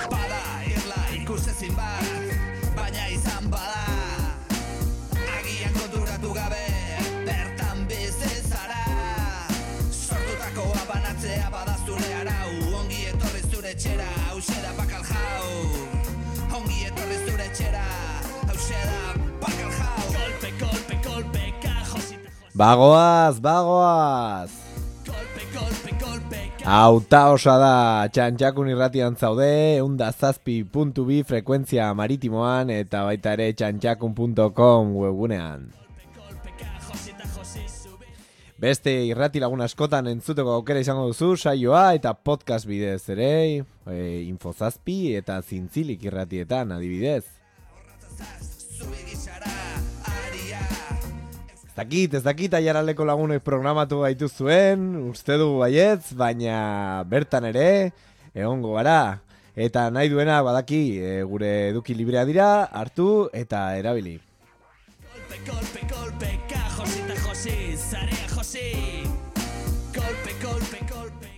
Bada irla ikusezin bat, baina izan bada agian konturatu gabe bertan bizi zara. Sortutakoa banatzea bada zure arau, ongi etorri zure etxera, hauxe da bakal jau. Ongi etorri zure etxera, hauxe da bakal jau. Kolpe, kolpe, kolpe, kajosita. Bagoaz! Auta osa da, Txantxakun irratian zaude, 107.2 frekuentzia maritimoan eta baita ere txantxakun.com webgunean. Beste irrati lagun askotan entzuteko aukera izango duzu saioa eta podcast bidez ere, Infozazpi eta Zintzilik irratietan adibidez. Ez dakit aiaraldeko lagunek programatu gaitu zuen, uste dugu baietz, baina bertan ere, egongo gara. Eta nahi duena badaki, gure eduki librea dira, hartu eta erabili. Kolpe, kolpe, kolpe, kajosita josi, zarea josi. Kolpe, kolpe, kolpe.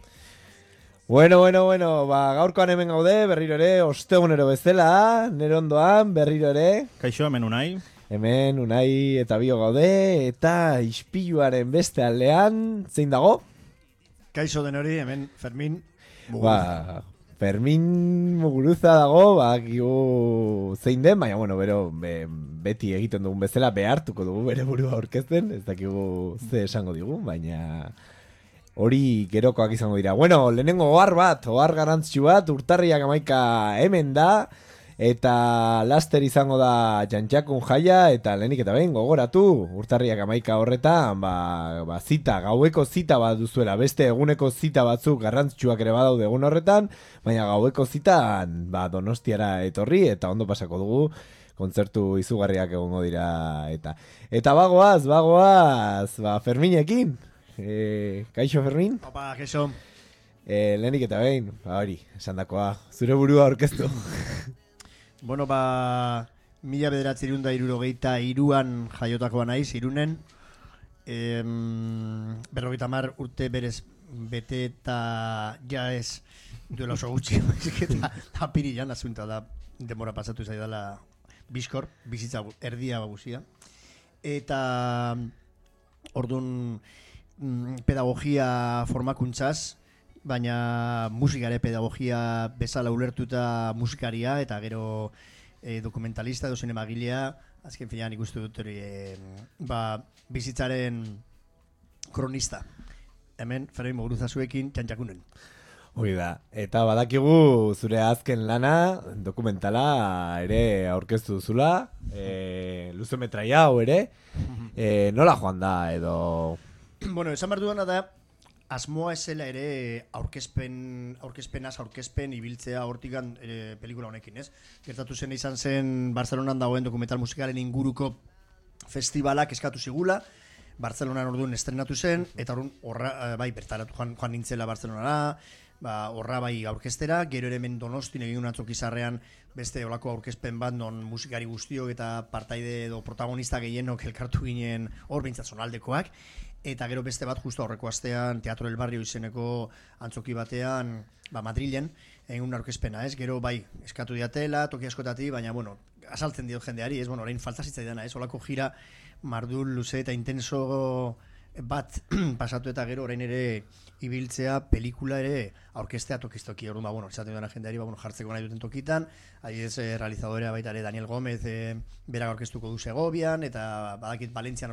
Bueno, gaurkoan hemen gaude, berriro ere, ostegunero bezala, nere ondoan, berriro ere. Kaixo, hemen Unai. Hemen Unai eta Bio gaude, eta ispiluaren beste aldean, zein dago? Kaixo denori, hemen Fermin. Fermin Muguruza dago, zein den, baina beti egiten dugun bezala behartuko dugu bere burua aurkezten, ez dakigu ze esango digu, baina hori gerokoak izango dira. Lehenengo ohar garrantzitsu bat, urtarriak 11 hemen da, eta laster izango da Txantxakun jaia, eta lehenik eta behin gogoratu, urtarriak 11 horretan, zita, gaueko zita bat duzuela, beste eguneko zita batzuk garrantzitsuak ere badaude egun horretan, baina gaueko zitan Donostiara etorri, eta ondo pasako dugu, kontzertu izugarriak egongo dira, eta bagoaz, Ferminekin, kaixo Fermin? Opa, kaixo. Lehenik eta behin, hori, esandakoa, zure burua aurkeztu. 1963an jaiotakoa naiz, Irunen. 50 urte berez bete eta ja ez duela oso gutxi. Eta apirilan asunta da, demora pasatu zaidala bizkor, bizitza erdia guzia. Eta orduan pedagogia formakuntzaz, baina musikare pedagogia bezala ulertuta musikaria eta gero dokumentalista edo zinemagilea, azken finean ikustu dut hori bizitzaren kronista. Hemen Fermin Muguruza zuekin Txantxakunen. Hori da, eta badakigu zure azken lana, dokumentala ere aurkeztu duzula, luzemetraia hau ere, nola joan da edo... Bueno, esan behar duena da, asmoa esela ere aurkezpen ibiltzea hortikan pelikula honekin, ez? Gertatu zen izan zen Barcelonan dagoen dokumental musikalen inguruko festivalak eskatu zigula, Barcelonan orduan estrenatu zen, eta orduan bertaratu joan nintzela Barcelonara, horra aurkeztera, gero ere hemen Donostin egin atzok izarrean beste olako aurkezpen bat non musikari guztiok eta partaide edo protagonista gehienok elkartu ginen hor behintzat zonaldekoak, eta gero beste bat justu aurreko astean Teatro del Barrio izeneko antzoki batean Madrilen egin aurkezpena, ez? Gero eskatu diatela, toki askotati, baina azaltzen dio jendeari, ez? Orain falta zitzaidana, ez? Olako jira mardul luze eta intenso bat pasatu eta gero orain ere ibiltzea pelikula ere aurkeztea tokistoki. Orduan esaten dena jendeari jartzeko nahi duten tokitan, adibidez realizadorea baita ere Daniel Gómez berak aurkeztuko du Segovian, eta badakit Valentzian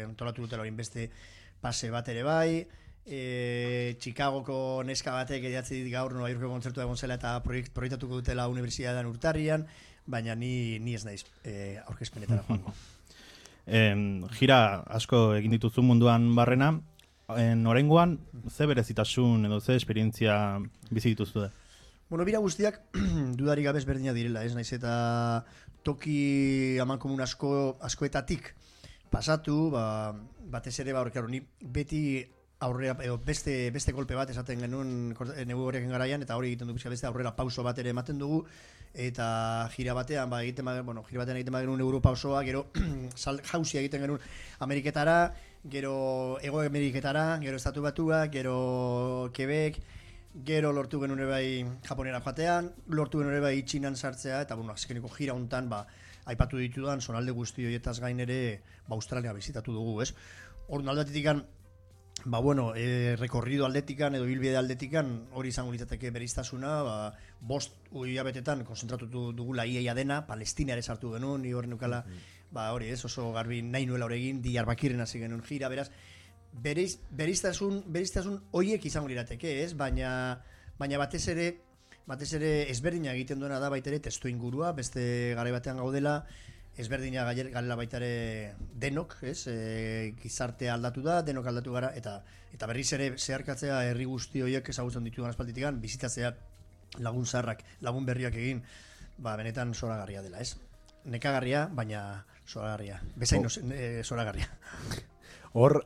antolatu dutela orain beste pase bat ere bai. Chicagoko neska batek idatzi dit gaur Nueva Yorkeko kontzertua egon zela eta proiektatuko dutela unibertsitatean urtarrian, baina ni ez naiz aurkezpenetara joango. Gira asko egin dituzu munduan barrena, oraingoan ze berezitasun edo ze esperientzia bizi dituztu da? Bira guztiak dudarik gabe ezberdinak direla, ez naiz eta toki amankomun askoetatik pasatu, batez ere ni beti aurrera, edo beste kolpe bat esaten genuen negu horrekin garaian, eta hori egiten du pixka beste aurrera pauso bat ere ematen dugu, eta gira batean egiten genuen Europausoa, gero jausia egiten genuen Ameriketara, gero Hego Ameriketara, gero Estatu Batuak, gero Quebec, gero lortu genuen ere bai Japonera joatean, lortu genuen ere bai Txinan sartzea, eta azkeneko gira hontan aipatu ditudan zonalde guzti horietaz gain ere Australia bizitatu dugu, ez? Orduan aldetikan rekorrido aldetikan edo bilbide aldetikan hori izango litzateke bereiztasuna, 5 hilabetetan konzentratutu dugula iaia dena, Palestina ere sartu genuen, ni hor neukala, hori ez, oso garbi nahi nuela hori egin, Diyarbakiren hasi genuen gira, beraz, bereiztasun horiek izango lirateke, ez? Baina batez ere ezberdina egiten duena da baita ere testu ingurua, beste garai batean gaudela, ezberdina garela baita ere denok, ez? Gizartea aldatu da, denok aldatu gara, eta berriz ere zeharkatzea herri guzti horiek ezagutzen ditudan aspalditikan, bizitatzea lagun zaharrak, lagun berriak egin, benetan zoragarria dela, ez? Nekagarria, baina zoragarria. Bezain zoragarria. Hor,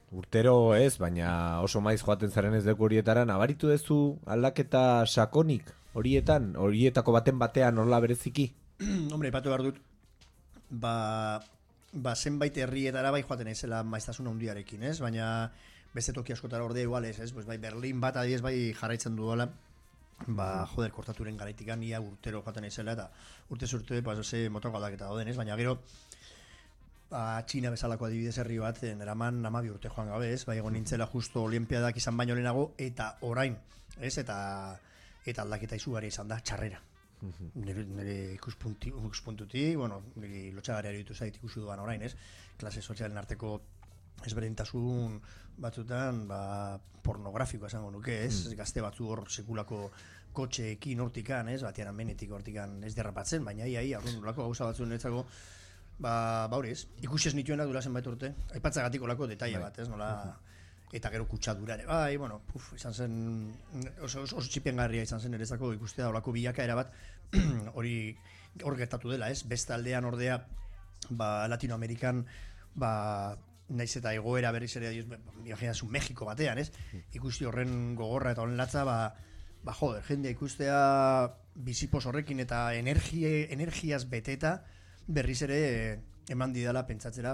urtero ez, baina oso maiz joaten zaren ez deku horietara, nabaritu duzu aldaketa sakonik horietan, horietako batean horla bereziki? Hombre, ipatu behar dut, zenbait herrietara bai joaten ezela maiztasun handiarekin, ez? Baina beste toki askotara orde igual ez? Pues Berlin bat adiez bai jarraitzen duela, kortaturen garaitikan ia urtero joaten ezela, eta urte motoko aldaketa dauden, ez? Baina gero, Txina bezalako adibidez herri bat, neraman 12 urte joan gabe, ez? Bai egon nintzela justo olimpiadak izan baino lehenago, eta orain, ez? Eta aldaketa izugarria izan da, txarrera. Nire ikuspuntutik, nire lotxagarria ditu zait ikusi duan orain, ez? Klase sozialen arteko ezberdintasun batzutan, pornografikoa esango nuke, ez? Gazte batzu hor sekulako kotxeekin hortikan, ez? Batian amenetik hortikan ez derrapatzen, baina nolako gauza batzu niretzako, hori ez? Ikusi ez nituenak dura zenbait urte, aipatzagatik olako detaile bat, ez? Nola... Eta gero kutsadura ere, izan zen, oso txipengarria izan zen erezako ikustea olako bilakaera bat, hor gertatu dela, ez? Beste aldean ordea, Latinoamerikan, naiz eta egoera berriz ere, imaginazu Mexiko batean, ez? Ikusti horren gogorra eta horren latza, jendea ikustea bizipos horrekin eta energiaz beteta, berriz ere eman didala pentsatzera,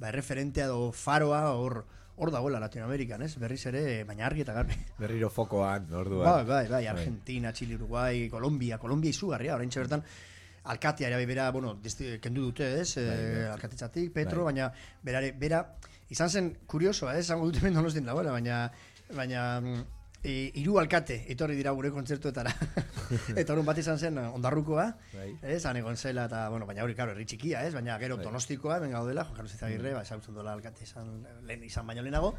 erreferentea edo faroa hor dagoela Latinoamerikan, ez? Berriz ere, baina argi eta garbi. Berriro fokoan, orduan. Bai, Argentina, Chile, Uruguay, Colombia izugarria, orain bertan alkatea ere bera, kendu dute, ez? Alkatetzatik, Petro, baina bera, izan zen kuriosoa, ez? Zango dute mendonos din dagoela, baina hiru alkate etorri dira gure kontzertuetara. Eta horren bat izan zen Ondarrukoa, ez? Han egon zela, eta, baina hori, herri txikia, ez? Baina gero Donostikoa, ben gaudela, Juan Carlos Izagirre, ezagutzen dola alkate izan baino lehenago,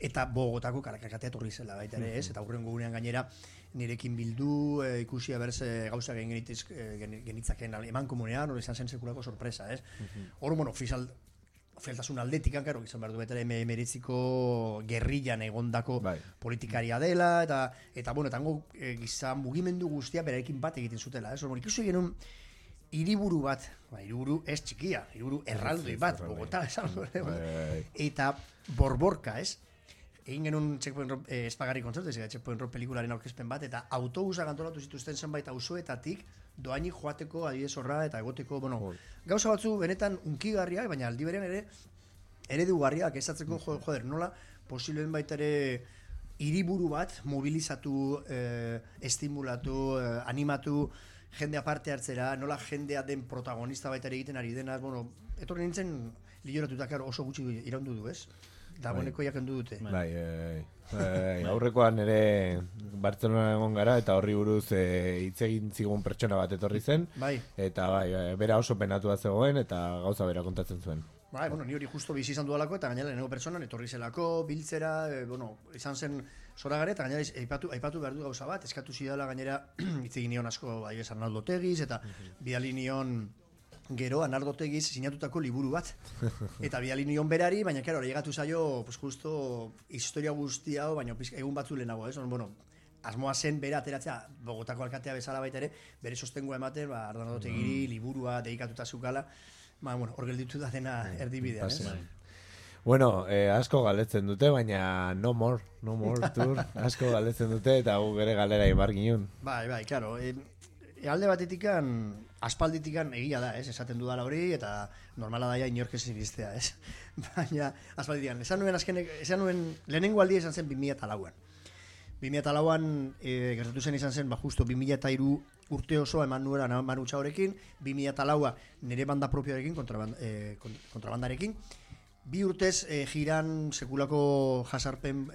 eta Bogotako alkatea etorri zela baita ere, ez? Eta hurrengo gunean gainera nirekin bildu, ikusi abertze gauza genitzaken eman komunean, hori izan zen sekulako sorpresa, ez? Hor, ofialtasun aldetikan, karo, izan behar du betera emeritziko gerrillan egondako politikaria dela, eta tango gizan mugimendu guztia berarekin bat egiten zutela, ez? Ikusi genuen hiriburu bat, hiriburu ez txikia, hiriburu erraldoi bat, Bogotá, eta borborka, ez? Egin genuen Checkpoint Rock espagarri kontzertu, Checkpoint Rock pelikularen aurkezpen bat, eta autobusak antolatu zituzten zenbait auzoetatik doaini joateko adibidez horra eta egoteko, gauza batzu benetan unkigarriak, baina aldi berean ere eredugarriak esatzeko, nola posibleen baita ere hiriburu bat mobilizatu, estimulatu, animatu, jendea parte hartzera, nola jendea den protagonista baita ere egiten ari dena, etorri nintzen lioratutak oso gutxi iraundu du, ez? Dagoeneko jakendu dute. Aurrekoan ere Bartzelona egon gara eta horri buruz hitz egin zigun pertsona bat etorri zen, eta bera oso penatua zegoen eta gauza bera kontatzen zuen. Ni hori justo bizi izan dudalako eta gainera lehenengo pertsonan etorri zelako, biltzera, izan zen zoragarri eta gainera aipatu behar du gauza bat, eskatu zidala gainera hitz egin nion asko Arnaldo Otegiz eta bidali nion gero Arnaldo Otegiz sinatutako liburu bat eta bidali nion berari, baina karo, hori egatu zaio justo historia guzti hau, baina egun batzu lehenago, ez? Asmoa zen bera ateratzea Bogotako alkatea bezala baita ere, bere sostengua ematen, Arnaldo Otegiri liburua dedikatuta zukala, hor gelditu da dena erdibidean, ez? Bueno, asko galdetzen dute, baina no more tour, asko galdetzen dute, eta gu gere galera ibar ginen. Bai, claro. Alde batetikan, aspalditikan egia da, esaten dudala hori, eta normala daia inork ez iristea, Baina, aspalditikan, esan nuen, lehenengo aldi esan zen 2004an. 2004an gertatu zen izan zen, justo 2003 urte osoa eman nuera Manu Txaorekin, 2004a nire banda propioarekin, kontrabandarekin, 2 urtez jiran sekulako jasarpen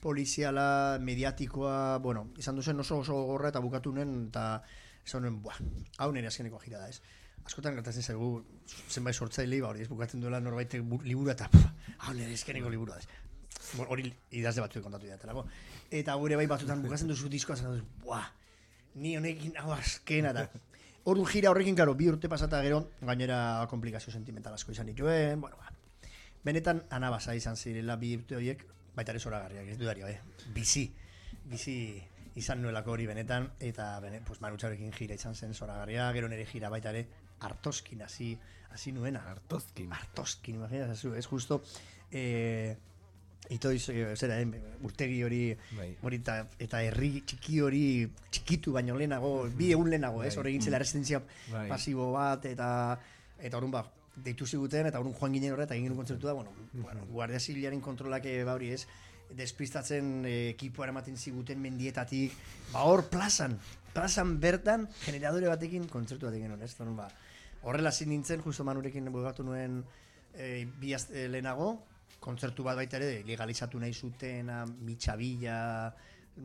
poliziala, mediatikoa, bueno, izan duzen oso gorra eta bukatu nuen, eta esan nuen, hau nire azkeneko jira da, Askotan gertatzen zaigu, zenbait sortzaile, hori bukatzen duela norbaitek liburu eta hau nire azkeneko liburu da, hori idazle batzuek kontatu diatelako. Eta gure bai batzutan bukatzen duzu diskoa, zen duzu, ni honekin hau azkena da. Orduan jira horrekin, karo, 2 urte pasata gero, gainera komplikazio sentimental asko izan dituen, benetan anabasa izan zirela 2 urte horiek, baita ere zoragarriak, ez dudario, bizi izan nuelako hori benetan, eta Manu Txaorekin jira izan zen zoragarria, gero nire jira baita ere Artoskin hasi nuena. Artoskin, imaginatzen zu, ez justo, itoiz, urtegi hori, eta herri txiki hori, txikitu baino lehenago, 2 egun lehenago, hor egin zela resistentzia pasibo bat, eta orduan deitu ziguten, eta orduan joan ginen horret, eta egin genuen kontzertu da, Guardia Zibilaren kontrolak bauri despistatzen ekipoa eramaten ziguten mendietatik, hor plazan bertan, generadore batekin kontzertu bat egin genuen, horrela zin nintzen, justo Manurekin bugatu nuen 2 aste lehenago, kontzertu bat baita ere legalizatu nahi zuten Mitxabila,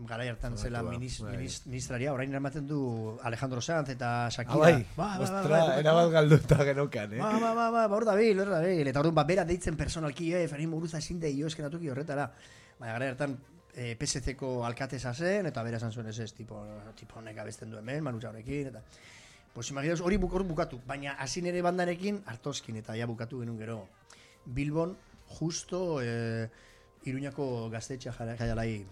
garai hartan zela ministraria, orain eramaten du Alejandro Sanz eta Shakira. Ostra, erabat galduta genokan, hor dabil, eta orduan bera deitzen personalki, Fermin Muguruza ezin deio eskenatuki horretara. Baina garai hartan PSC-ko alkateza zen, eta bera esan zuen ez tipo honek abesten du hemen, Manu Txaorekin, eta imaginaos hori bukatu, baina hasi nire bandarekin Artoskin, eta ja bukatu genuen gero Bilbon, justo Iruñako gaztetxea jaialai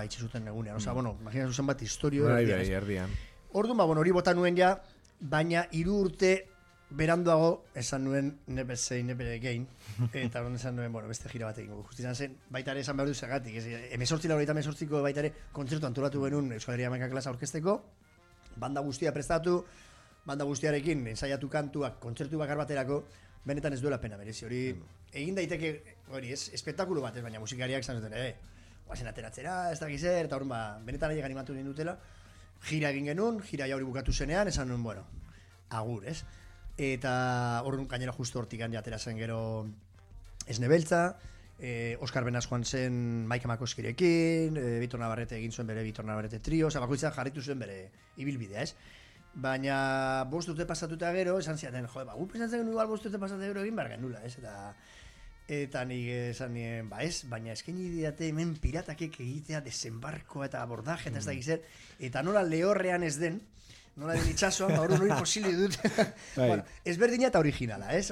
itxizuten egunean. Imaginatzen zen bat historio erdian. Orduan, hori bota nuen ja, baina 3 urte beranduago esan nuen never say never again, eta orduan esan nuen, beste jira bat egingo. Justi izan zen, baita ere esan behar du zergatik, 18 baita ere kontzertu antolatu genuen Euskal Herria Hamaika klasa orkesteko, banda guztia prestatu, banda guztiarekin ensaiatu kantuak, kontzertu bakar baterako, benetan ez duela pena merezi, hori egin daiteke, hori ez, espektakulo bat ez, baina musikariak zan zuten, guazen ateratzera, ez dakiz eta horren benetan aiek animatu nien dutela, jira egin genuen, jira hori bukatu zenean, esan nuen, agur, ez? Eta horren gainera justu hortik atera zen gero Esne Beltza, Oskar Benaz joan zen Maika Makoskirekin, Bitor Navarrete egin zuen bere Bitor Navarrete trio, bakoitzak jarritu zuen bere ibilbidea, ez? Baina 5 urte pasatuta gero, esan ziaten, gu pensatzen genuen igual 5 urte pasatuta gero egin behar genula, ez? Eta nik esan nien, ez, baina eskaini didate hemen piratakek egitea desembarkoa eta abordaje eta ez da gizer, eta nola lehorrean ez den, nola den itxasoan, hori hori posili dut. Ezberdina eta originala, ez?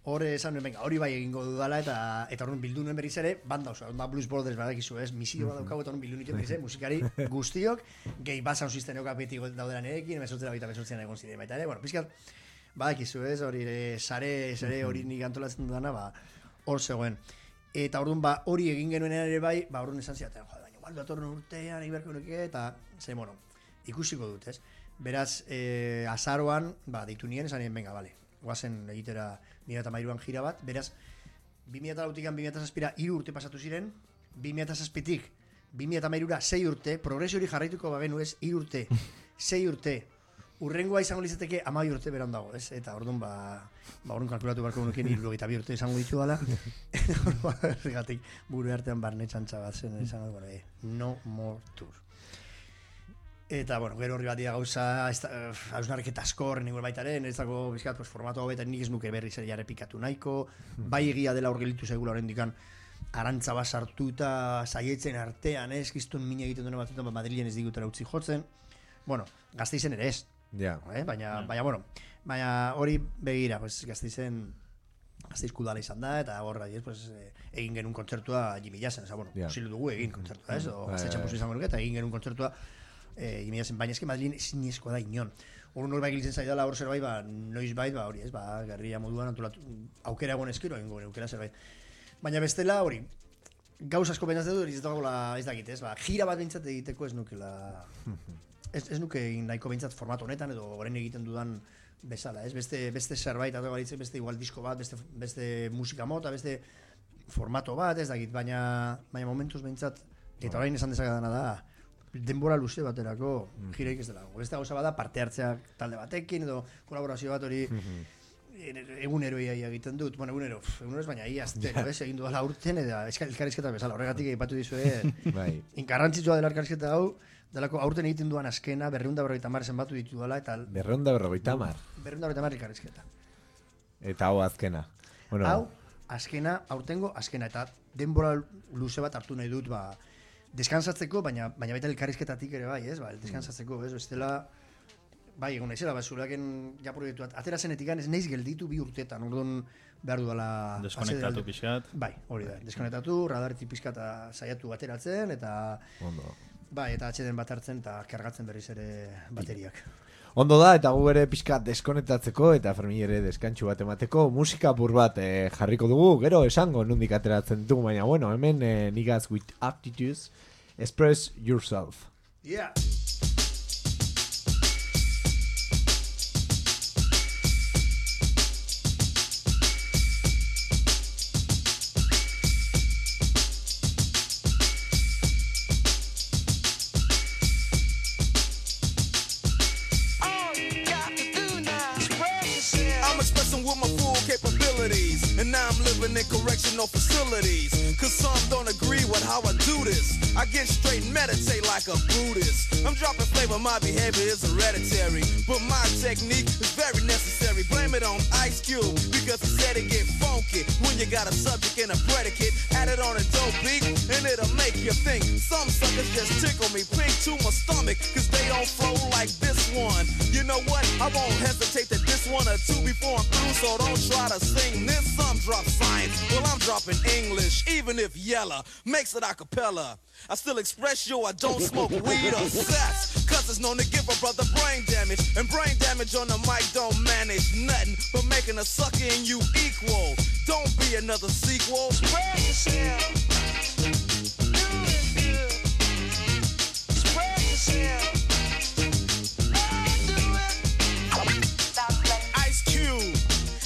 Hor esan nuen, hori bai egingo dudala, eta horren bildu nuen berriz ere, banda oso, Blues Brothers badakizu, ez? Misio bat daukagu eta horren bildu nituen berriz ere, musikari guztiok, gehi basan sistenok beti daudela nerekin, mesortzean egon ziren baita ere, pizkat, badakizu, ez? Hori sare hori nik antolatzen dudana, hor zegoen. Eta orduan hori egin genuen ere bai, orduan esan ziaten, baina igual datorren urtean, iberko nuke, eta ikusiko dut, ez? Beraz, azaroan, deitu nien, esan nien, venga, bale, guazen egitera 2013an jira bat, beraz, 2008an 2007ra 3 urte pasatu ziren, 2007tik 2013ra 6 urte, progresio hori jarraituko bagenu ez, 3 urte, 6 urte, urrengoa izango lizateke 12 urte beran dago, ez? Eta orduan, orduan kalkulatu barko nukien 72 urte izango ditu dala, ergatik buru artean barne txantxa bat zen, izango, no more tour. Eta, gero horri bat dira gauza, hausnarketa asko horren igual baitaren, ez dago bizkat, formatu hau betan nik ez nuke berri zer jare pikatu nahiko, bai egia dela hor gelitu zaigula horren dikan, arantza bat sartuta, saietzen artean, ez, giztun mina egiten duen batzutan, Madrilen ez digutera utzi jotzen, Gasteizen ere ez, baina hori begira, Gasteizen, Gasteizko udala izan da, eta horra egin genuen kontzertua Jimmy Jassen, posilu dugu egin kontzertua, ez, o Gaztetxan posu izango nuke, eta egin genuen kontzertua baina eske Madrilen ezinezkoa da inon. hor bai giltzen zaidala hor zerbait, noiz bait, hori ez, gerria moduan antolatu, aukera egon eskero, aukera zerbait. Baina bestela hori, gauz asko pentsatzen dut, ez dakit, ez, gira bat bintzat egiteko ez nukela, ez nuke nahiko bintzat formato honetan, edo orain egiten dudan bezala, ez, beste zerbait, beste igual disko bat, beste musika mota, beste formato bat, ez dakit, baina momentuz bintzat, eta orain esan dezakadana da, denbora luze baterako gireik ez dela. Beste gauza bada parte hartzeak talde batekin edo kolaborazio bat hori egunero egiten dut. Bueno, egunero ez, baina astero, ez, egin dudala urten eta elkarrizketa bezala. Horregatik aipatu dizue, inkarrantzitsua dela elkarrizketa hau, delako aurten egiten duan askena 250 zenbatu ditu dela eta 250. 250 elkarrizketa. Eta hau azkena. Bueno, hau azkena, aurtengo azkena eta denbora luze bat hartu nahi dut, deskansatzeko, baina baita elkarrizketatik ere bai, ez? Deskansatzeko, ez? Bestela bai, egon naizela, zureaken ja proiektu atera zenetik ez naiz gelditu 2 urteetan. Orduan behar dudala deskonektatu pixkat. Bai, hori da. Deskonektatu, radaretik pixkata saiatu ateratzen eta ondo. Bai, eta atxeden bat hartzen eta kargatzen berriz ere bateriak. Ondo da, eta gu ere pixkat deskonektatzeko eta Fermin ere deskantxu bat emateko musika apur bat jarriko dugu, gero esango nondik ateratzen dugu, baina bueno, hemen niggas with aptitudes, express yourself. Yeah. And now I'm living in correctional facilities, cause some don't agree with how I do this. I get straight and meditate like a Buddhist. I'm dropping flavor, my behavior is hereditary, but my technique is very necessary. Blame it on Ice Cube, because he said it get funky when you got a subject and a predicate. Add it on a dope beat, and it'll make you think. Some suckers just tickle me pink to my stomach, cause they don't flow like this one. You know what? I won't hesitate to diss one or two before I'm through, so don't try to sing this. Some drop science, well I'm dropping English, even if Yella makes it a cappella. I still express I don't smoke weed or sex, cause it's known to give a brother brain damage, and brain damage on the mic don't manage nothing but making a sucker in you equal. Don't be another sequel. Spread yourself. Do it good. Spread yourself. Ice Cube.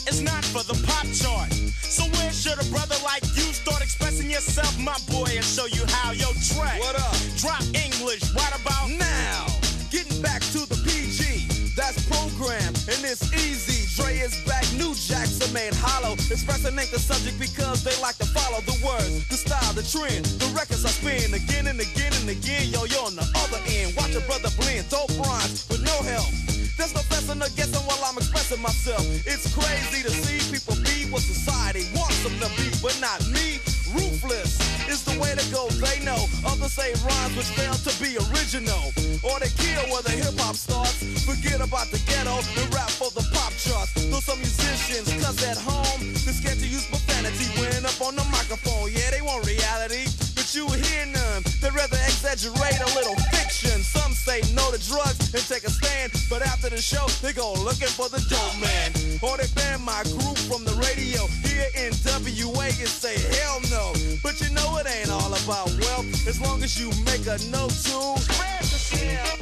It's not for the pop chart. So where should a brother like you start expressing yourself, my boy, and show you how? Yo, Trey, what up? Drop English right about now. Getting back to the PG, that's program, and it's easy. Dre is back, new jacks are made hollow. Expressing ain't the subject because they like to follow the words, the style, the trend. The records I spin again and again and again. Yo, you're on the other end. Watch a brother blend, dope rhymes with no help. There's no fessing or guessing while I'm expressing myself. It's crazy to see people be what society wants them to be, but not me. Ruthless is the way to go, they know. Others say rhymes which fail to be original, or they kill where the hip-hop starts. Forget about the ghetto and rap for the pop charts. Though some musicians, cause at home they're scared to use profanity when up on the microphone. Yeah, they want reality, but you hear none. They'd rather exaggerate a little fiction. Some say no to drugs and take a stand, but after the show they go looking for the dope man, or they ban my group from the radio here in WA and say hell no. But you know it ain't all about wealth, as long as you make a note to spread yourself.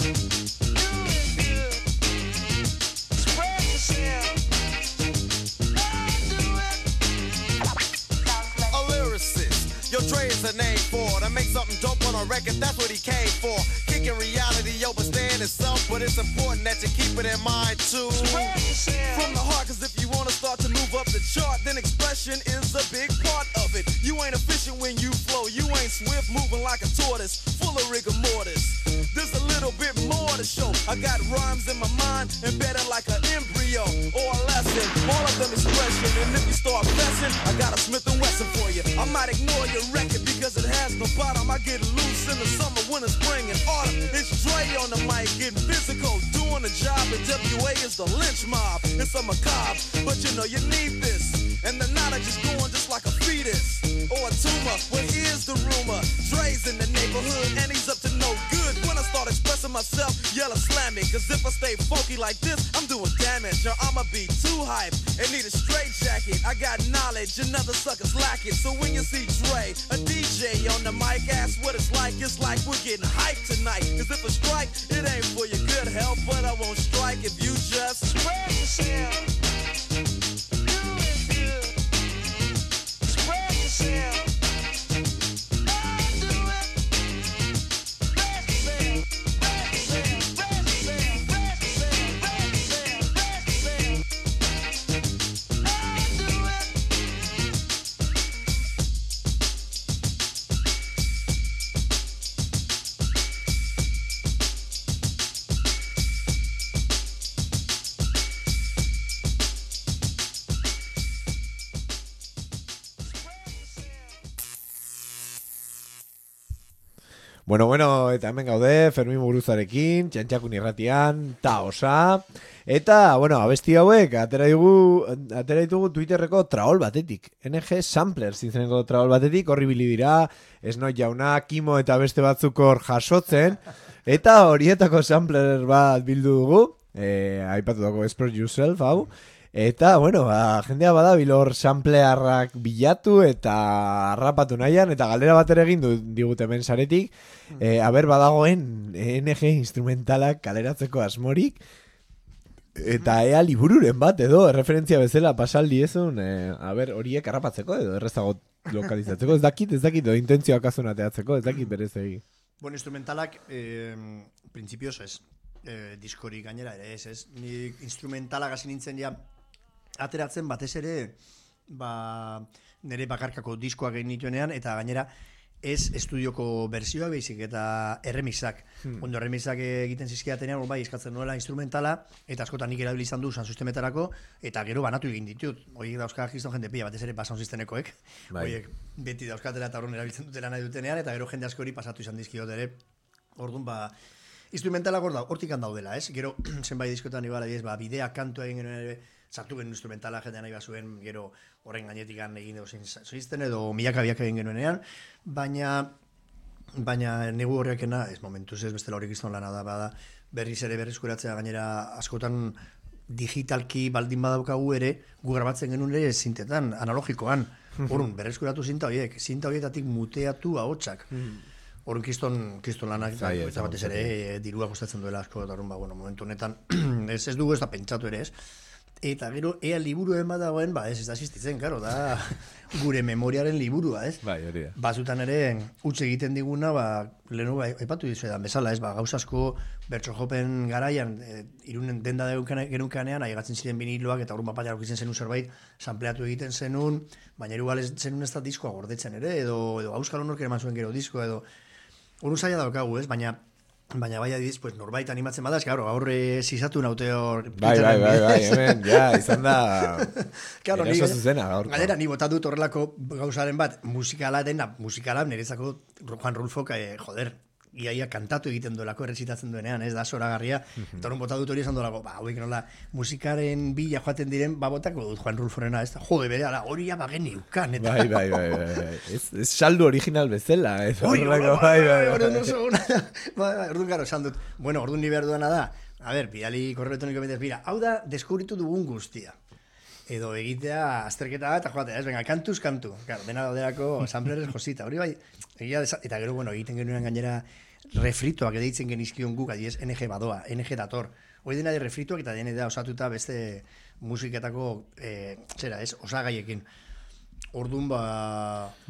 Do it good. Spread yourself. Do it. A lyricist, yo, Dre is a name for to make something dope on a record, that's what he came for. Kicking reality over stand itself, but it's important that you keep it in mind too. From the heart, cause if you wanna start to move up the chart, then expression is a big part of it. You ain't efficient when you flow, you ain't swift, moving like a tortoise, full of rigor mortis. There's a little bit more to show. I got rhymes in my mind, embedded like an embryo or a lesson. All of them expression, and if you start messing, I got a Smith & Wesson for you. I might ignore your record because it has no bottom. I get loose in the summer, winter, spring, and autumn. It's Dre on the mic, getting physical, doing the job. And WA is the lynch mob. It's a macabre, but you know you need this. And the knowledge is going just like a fetus or a tumor. Well, here's the rumor: Dre's in the neighborhood, and he's up to no good. When I start expressing myself, yell or slam me. Cause if I stay funky like this, I'm doing damage, or I'ma be too hype and need a straight jacket. I got knowledge and other suckers lack it. So when you see Dre, a DJ on the mic, ask what it's like we're getting hyped tonight. Cause if a strike, it ain't for your good health, but I won't strike if you just spread yourself. Do it good. Spread yourself. Bueno, eta hemen gaude, Fermin Muguruzarekin, Txantxakun irratian, ta osa. Eta, abesti hauek, atera ditugu Twitterreko traol batetik. NG Samplers izeneko traol batetik, horri bili dira, Esnoi jauna, Kimo eta beste batzuk hor jasotzen. Eta horietako sampler bat bildu dugu, aipatu dago Express Yourself, hau. Eta, jendea badabil hor samplearrak bilatu eta harrapatu nahian, eta galdera bat ere egin digute hemen saretik, badagoen NG instrumentalak kaleratzeko asmorik, eta ea libururen bat edo, referentzia bezala pasaldi ezun, horiek harrapatzeko edo, errezago lokalizatzeko, ez dakit, edo intentzioak azunateatzeko, ez dakit berez egin. Instrumentalak, prinsipioz ez, diskorik gainera ere ez, ni instrumentalak hasi nintzen ja, ateratzen batez ere nire bakarkako diskoak egin nituenean eta gainera ez estudioko bersioak baizik eta erremixak. Ondo erremixak egiten zizkidatenean eskatzen nuela instrumentala eta askotan nik erabili izan du sound systemetarako eta gero banatu egin ditut. Horiek dauzka gizton jende pila batez ere sound systemekoek. Horiek beti dauzkatela eta horren erabiltzen dutela nahi dutenean eta gero jende askori pasatu izan dizkiot ere. Orduan instrumentalak hortik daudela, ez? Gero zenbait diskotan ibala bidea kantua egin genuen ere sartu genuen instrumentala jendean nahi bazuen, gero horren gainetik egin dugu zizten edo milaka egin genuenean, baina negu horrekena, ez momentuz ez bestela horrek izan lana da, bada berriz ere berrizkuratzea gainera askotan digitalki baldin badaukagu ere, gu grabatzen genuen ere zintetan, analogikoan, horren berrizkuratu zinta horietatik muteatu ahotsak. Horren kiston lanak, eta batez ere dirua kostatzen duela asko, eta horren, momentu honetan, ez dugu ez da pentsatu ere ez. Eta gero, ea liburuen badagoen, ez da existitzen, karo, da gure memoriaren liburua, ez? Bai, hori da. Bazutan ere, utz egiten diguna, lehenu aipatu dizuetan bezala, ez? Gauzasko bertsojopen garaian, irunen denda genukanean, aigatzen ziren biniloak, eta horren bapaia aurkitzen zenun zerbait, sampleatu egiten zenun, baina erugal zenun ez da diskoa gordetzen ere, edo Auskal Honork eman zuen gero diskoa, edo horren zaila daukagu, ez? Baina bai adiz, norbait animatzen badaz, gaurre zizatu naute hor... Bai, hemen, izan da... Eraso zuzena, gaurko. Galera, ni bota dut horrelako gauzaren bat, musikala nerezako Juan Rulfok, iaia kantatu egiten duelako, errezitatzen duenean, ez da zoragarria, eta horren bota dut hori esan duelako, hauek nola, musikaren bila joaten diren, botako dut Juan Rulforena, ez da, jode bere, hori ya bagen iukan, eta... Bai, ez saldu original bezala, ez horrelako, orduan garo, esan dut, orduan ni behar duena da, bidali korreo elektroniko betez, hau da, deskubritu dugun guztia. Edo egitea azterketa bat, eta joatea, venga, kantuz kantu. Dena dauderako samplerez josita. Hori bai, eta gero, egiten genuen gainera refritoak edaitzen genizkion guk, adiez, NG badoa, NG dator. Hori dena de refritoak eta dena da osatuta beste musiketako, osagaiekin. Orduan,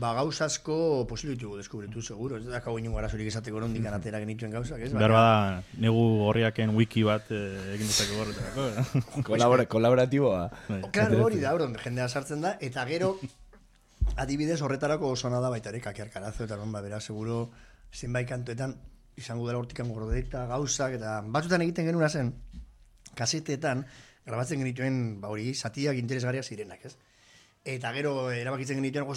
gauzasko posibilitu deskubritu, seguro. Ez da kau inungo arazurik esateko nondik anatera genituen gauzak, ez? Behar bada, negu horriaken wiki bat egin dutako horretarako. Kolaboratiboa. Klaro, hori da, jendea sartzen da, eta gero, adibidez horretarako oso nada baitare, kakiarkarazo, eta bera, seguro, zenbait kantuetan, izango dela hortikan gordeta, gauzak, eta batzutan egiten genuna zen, kasetetan, grabatzen genituen, hori, zatiak interesgarriak zirenak, ez? Eta gero erabakitzen genituen,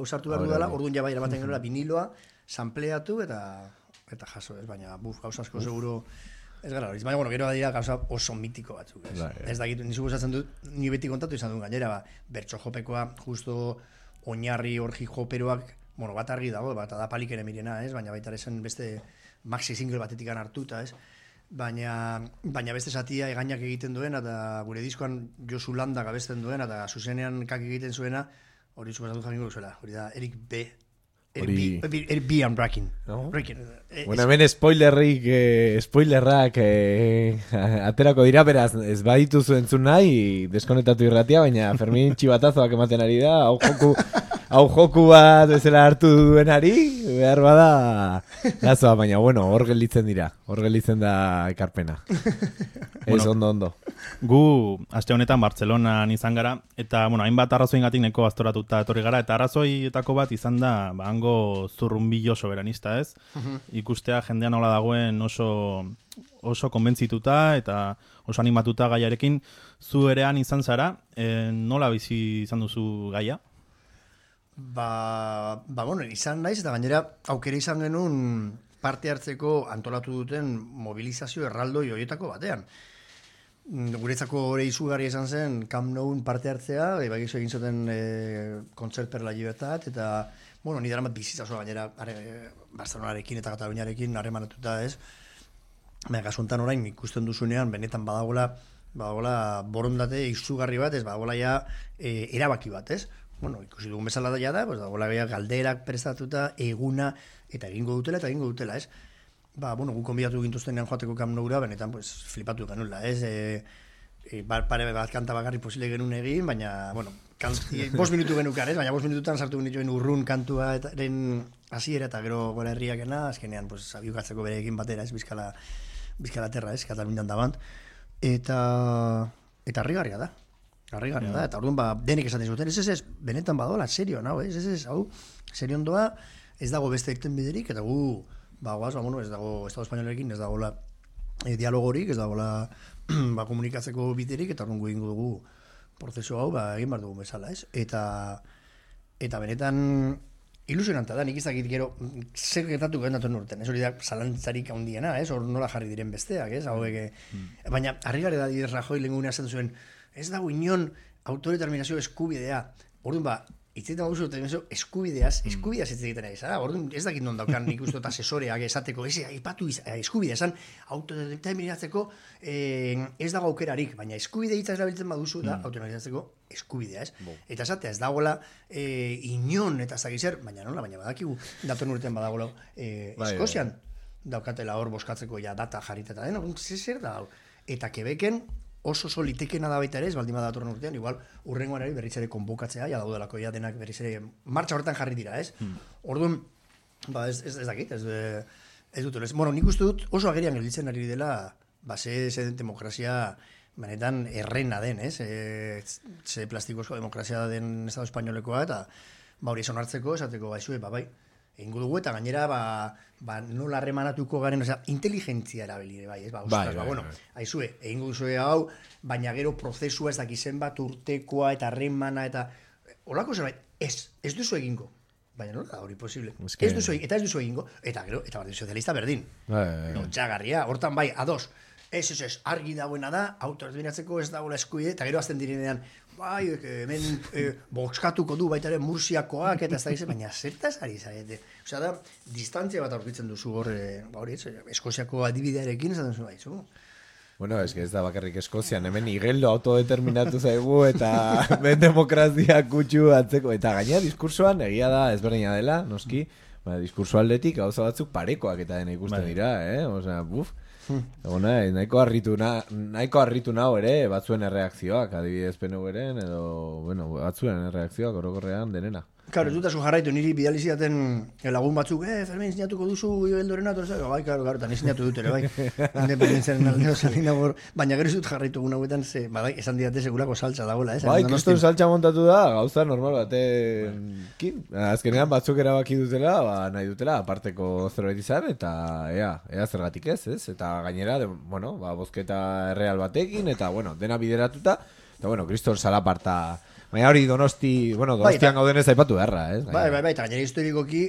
sartu behar dudala, orduan ja bai erabaten genuela viniloa, sampleatu eta jaso, ez? Baina, gauza asko seguro ez gara hori. Baina, gero badira gauza oso mitiko batzuk, ez? Ez dakit, nizu gozatzen dut, ni beti kontatu izan duen gainera, bertso jopekoa, justo oinarri orji joperoak, bat argi dago, bat da palik ere mirena, ez? Baina baita esen beste maxi single batetik hartuta, ez? baina beste zatia egainak egiten duena, eta gure diskoan Josu Landak abesten duena, eta zuzenean kak egiten zuena, hori zubazatu jakingo duzuela, hori da Eric B. Eric B. I'm breaking. No? Bueno, hemen spoilerrak aterako dira, beraz, ez badituzu entzun nahi, deskonektatu irratia, baina Fermin txibatazoak ematen ari da, hau joku bat bezala hartu duenari, behar bada lazoa, baina bueno, hor gelditzen da ekarpena. Ez ondo. Gu, aste honetan Bartzelonan izan gara, eta bueno, hainbat arrazoingatik neko aztoratuta etorri gara, eta arrazoietako bat izan da, hango zurrunbillo soberanista, ez? Ikustea jendean nola dagoen oso konbentzituta eta oso animatuta gaiarekin. Zu erean izan zara, nola bizi izan duzu gaia? Bueno, izan naiz, eta gainera aukera izan genuen parte hartzeko antolatu duten mobilizazio erraldoi horietako batean. Guretzako hori izugarria izan zen Camp Noun parte hartzea, bagizu egin zuten Concert per la Libertad, eta bueno, ni daramat bizitza gainera Barcelonarekin eta Kataluniarekin harremanatuta, ez? Baina kasuntan orain ikusten duzunean benetan badagoela borondate izugarri bat, ez badagoela ja erabaki bat, ez? Bueno, ikusi dugun bezala da, pues dagoela galderak prestatuta, eguna, eta egingo dutela, ez? Bueno, gu konbidatu gintuztenean joateko Camp Noura, benetan, pues, flipatu genula, ez? Pare bat kanta bakarri posible genuen egin, baina, bueno, 5 minutu genukan, ez? Baina 5 minututan sartu genituen urrun kantuaren hasiera eta gero Gora Herriakena, azkenean, pues, abiukatzeko berekin batera, ez? Bizkala terra, ez? Katalunian dabant. Eta harrigarria da. Eta orduan denek esaten zuten, ez, benetan badola, serio, nau, ez, hau, serio ondoa, ez dago beste ekten biderik, eta gu, bueno, ez dago Estado Espainolarekin, ez dagoela dialogorik, ez dagoela komunikatzeko biderik, eta orduan gu ingo dugu prozesu hau, egin behar dugu bezala, ez? Eta benetan ilusionanta da, nik izakit gero, zer gertatu garen datorren urten, ez hori da zalantzarik handiena, ez? Hor nola jarri diren besteak, ez? Baina, harrigarri da Rajoy lehengunea esan zuen, ez dago inon autodeterminazio eskubidea. Orduan hitzetan gauzu eskubideaz hitz egiten ari zara. Orduan ez dakit non daukan nik uste asesoreak esateko, aipatu eskubidea esan autodeterminatzeko ez dago aukerarik, baina eskubide hitza erabiltzen baduzu da autodeterminatzeko eskubidea, ez? Eta esatea ez dagoela inon eta ez dakiz zer, baina badakigu datorren urtean badagoela Eskozian daukatela hor boskatzeko ja data jarrita eta den, zer da hau? Eta Quebecen oso litekena da baita ere, ez baldin bada datorren urtean, igual urrengoan ere berriz ere konbokatzea, ja daudelako ja denak berriz ere martxa horretan jarri dira, ez? Orduan, ez dakit, ez dut, bueno, nik uste dut oso agerian gelditzen ari dela, ze demokrazia benetan errena den, ez? Ze plastikozko demokrazia den Estado Espainolekoa, eta hori esan hartzeko, esateko, bai, egingo dugu, eta gainera, nola harremanatuko garen, inteligentzia erabili, bai, ez, bueno, aizue, egingo duzue hau, baina gero prozesua ez dakizen bat urtekoa, eta harremana, eta holako zerbait, ez duzu egingo, baina nola da hori posible, ez duzu egingo, eta gero, eta Partido Sozialista berdin, txagarria, hortan bai, ados, ez, argi dagoena da, autodeterminatzeko ez dagoela eskubide, eta gero azten direnean, bai, hemen boskatuko du baita ere Mursiakoak, eta ez da gizien, baina zertaz ari zarete. Osea da, distantzia bat aurkitzen duzu hor, Eskoziako adibidearekin, esaten zuen baizu. Bueno, ez da bakarrik Eskozian, hemen igeldo autodeterminatu zaigu, eta ben demokrazia kutsu atzeko, eta gainera diskursoan egia da ezberdina dela, noski, diskurso aldetik gauza batzuk parekoak eta dena ikusten dira, osea, nahiko harritu nau ere batzuen erreakzioak, adibidez PNV-ren edo, bueno, batzuen erreakzioak orokorrean denena. Claro, ez dutazu jarraitu, niri bidali zidaten lagun batzuk, Fermin, sinatuko duzu Igeldorena, bai, claro, eta ni sinatu dut ere, bai, independentzaren aldeo salina bor, baina gero ez dut jarraitu guna huetan, esan didate segurako saltza dagoela, Bai, kriston saltza montatu da, gauza normal batekin, azkenean batzuk erabaki dutela, nahi dutela, aparteko zerbait izan, eta ea zergatik ez, eta gainera, bueno, bozketa erreal batekin, eta, bueno, dena bideratuta, eta, bueno, kriston salaparta. Baina hori Donostian gauden ez aipatu beharra, ez? Bai, eta gainera historikoki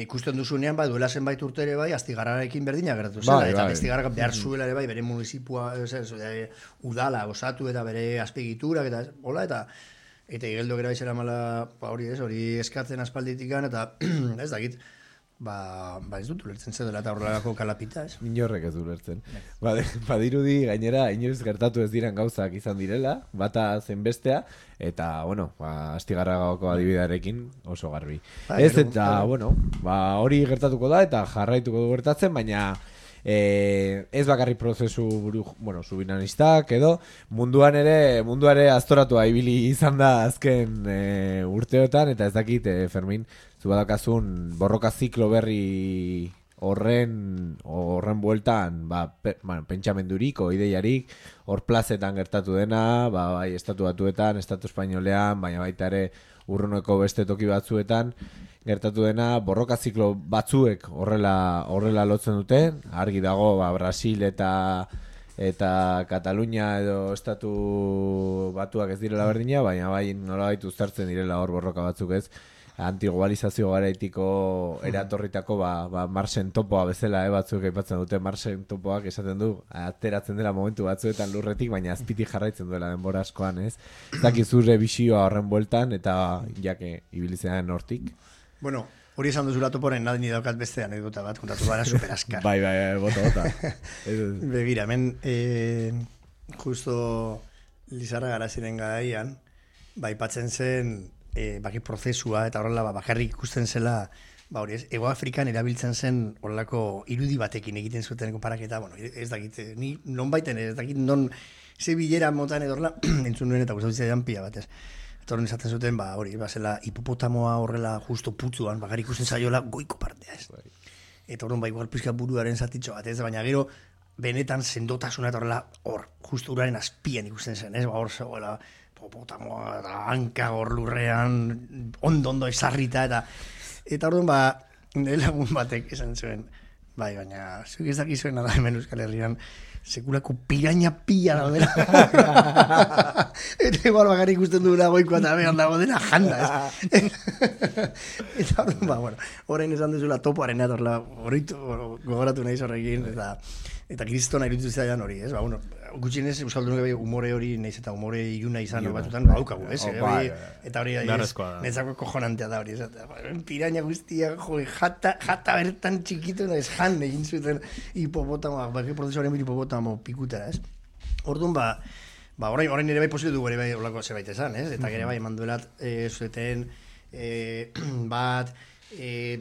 ikusten duzunean, duela zenbait urte ere bai, Astigarrarekin berdina geratu zela, eta Astigarra behar zuela ere bai, bere municipua, udala, osatu eta bere azpegiturak, eta hola, eta Igeldo gera izera mala, hori eskatzen aspalditikan, eta ez dakit, ez dut ulertzen zer dela eta horrelako kalapita, ez? Inorrek ez du ulertzen. Badirudi gainera inoiz gertatu ez diren gauzak izan direla, bata zen bestea, eta, bueno, Astigarragako adibidearekin oso garbi. Ez eta, bueno, hori gertatuko da eta jarraituko du gertatzen, baina ez bakarrik prozesu subinanistak edo munduan ere aztoratua ibili izan da azken urteotan, eta ez dakit, Fermin, zu badakazun borroka ziklo berri horren bueltan pentsamendurik o ideiarik hor plazetan gertatu dena, bai estatu batuetan, estatu espainolean, baina baita ere urruneko beste toki batzuetan gertatu dena, borroka ziklo batzuek horrela lotzen dute, argi dago Brasil eta Katalunia edo estatu batuak ez direla berdina, baina bai nolabait uztartzen direla hor borroka batzuk ez, antiglobalizazio garaitiko eratorritako Marsen topoa bezala batzuk aipatzen dute. Marsen topoak esaten du ateratzen dela momentu batzuetan lurretik, baina azpitik jarraitzen duela denbora askoan, ez? Zaki zure bisioa horren bueltan eta jake ibilitzean hortik. Bueno, hori esan duzula toporen nadini daukat beste anekdota bat kontatu gara super askar. Bai, bota. Begira, hemen justo Lizarra Garaziren garaian aipatzen zen baki prozesua eta horrela bakarrik ikusten zela hori ez, Ego Afrikan erabiltzen zen horrelako irudi batekin egiten zuten konparaketa, ez dakit, ni non baiten ez dakit non ze bilera motan edo horrela entzun nuen eta gustatzen pila batez. Eta horren esaten zuten, hori, zela hipopotamoa horrela justo putzuan, bakarrik ikusten zaiola goiko partea ez. Eta horren igual pizka buruaren zatitxo bat ez, baina gero benetan sendotasuna eta horrela hor, justo uraren azpian ikusten zen, ez, hor zegoela hipopotamoa eta hanka hor lurrean ondo esarrita eta orduan nire lagun batek esan zuen, baina zuek ez dakizuen nada hemen Euskal Herrian sekulako piraña pila daudela. Eta igual bakarrik ikusten duela goikoa eta behan dago dena janda, ez? Eta orduan, orain esan duzula topoaren atorla, gogoratu nahiz horrekin, eta kristona iruditu zaidan hori, ez? Gutxienez Euskaldunok umore hori nahiz eta umore iluna izan batutan daukagu, ez? Eta hori netzako kojonantea da hori, ez? Piraña guztia, jata bertan txikitu, ez jan egin zuten hipopotamo, baki prozesuaren hipopotamo pikutera, ez? Orduan, orain ere bai posible dugu ere bai olako zerbait esan, ez? Eta gero bai eman duelat zueten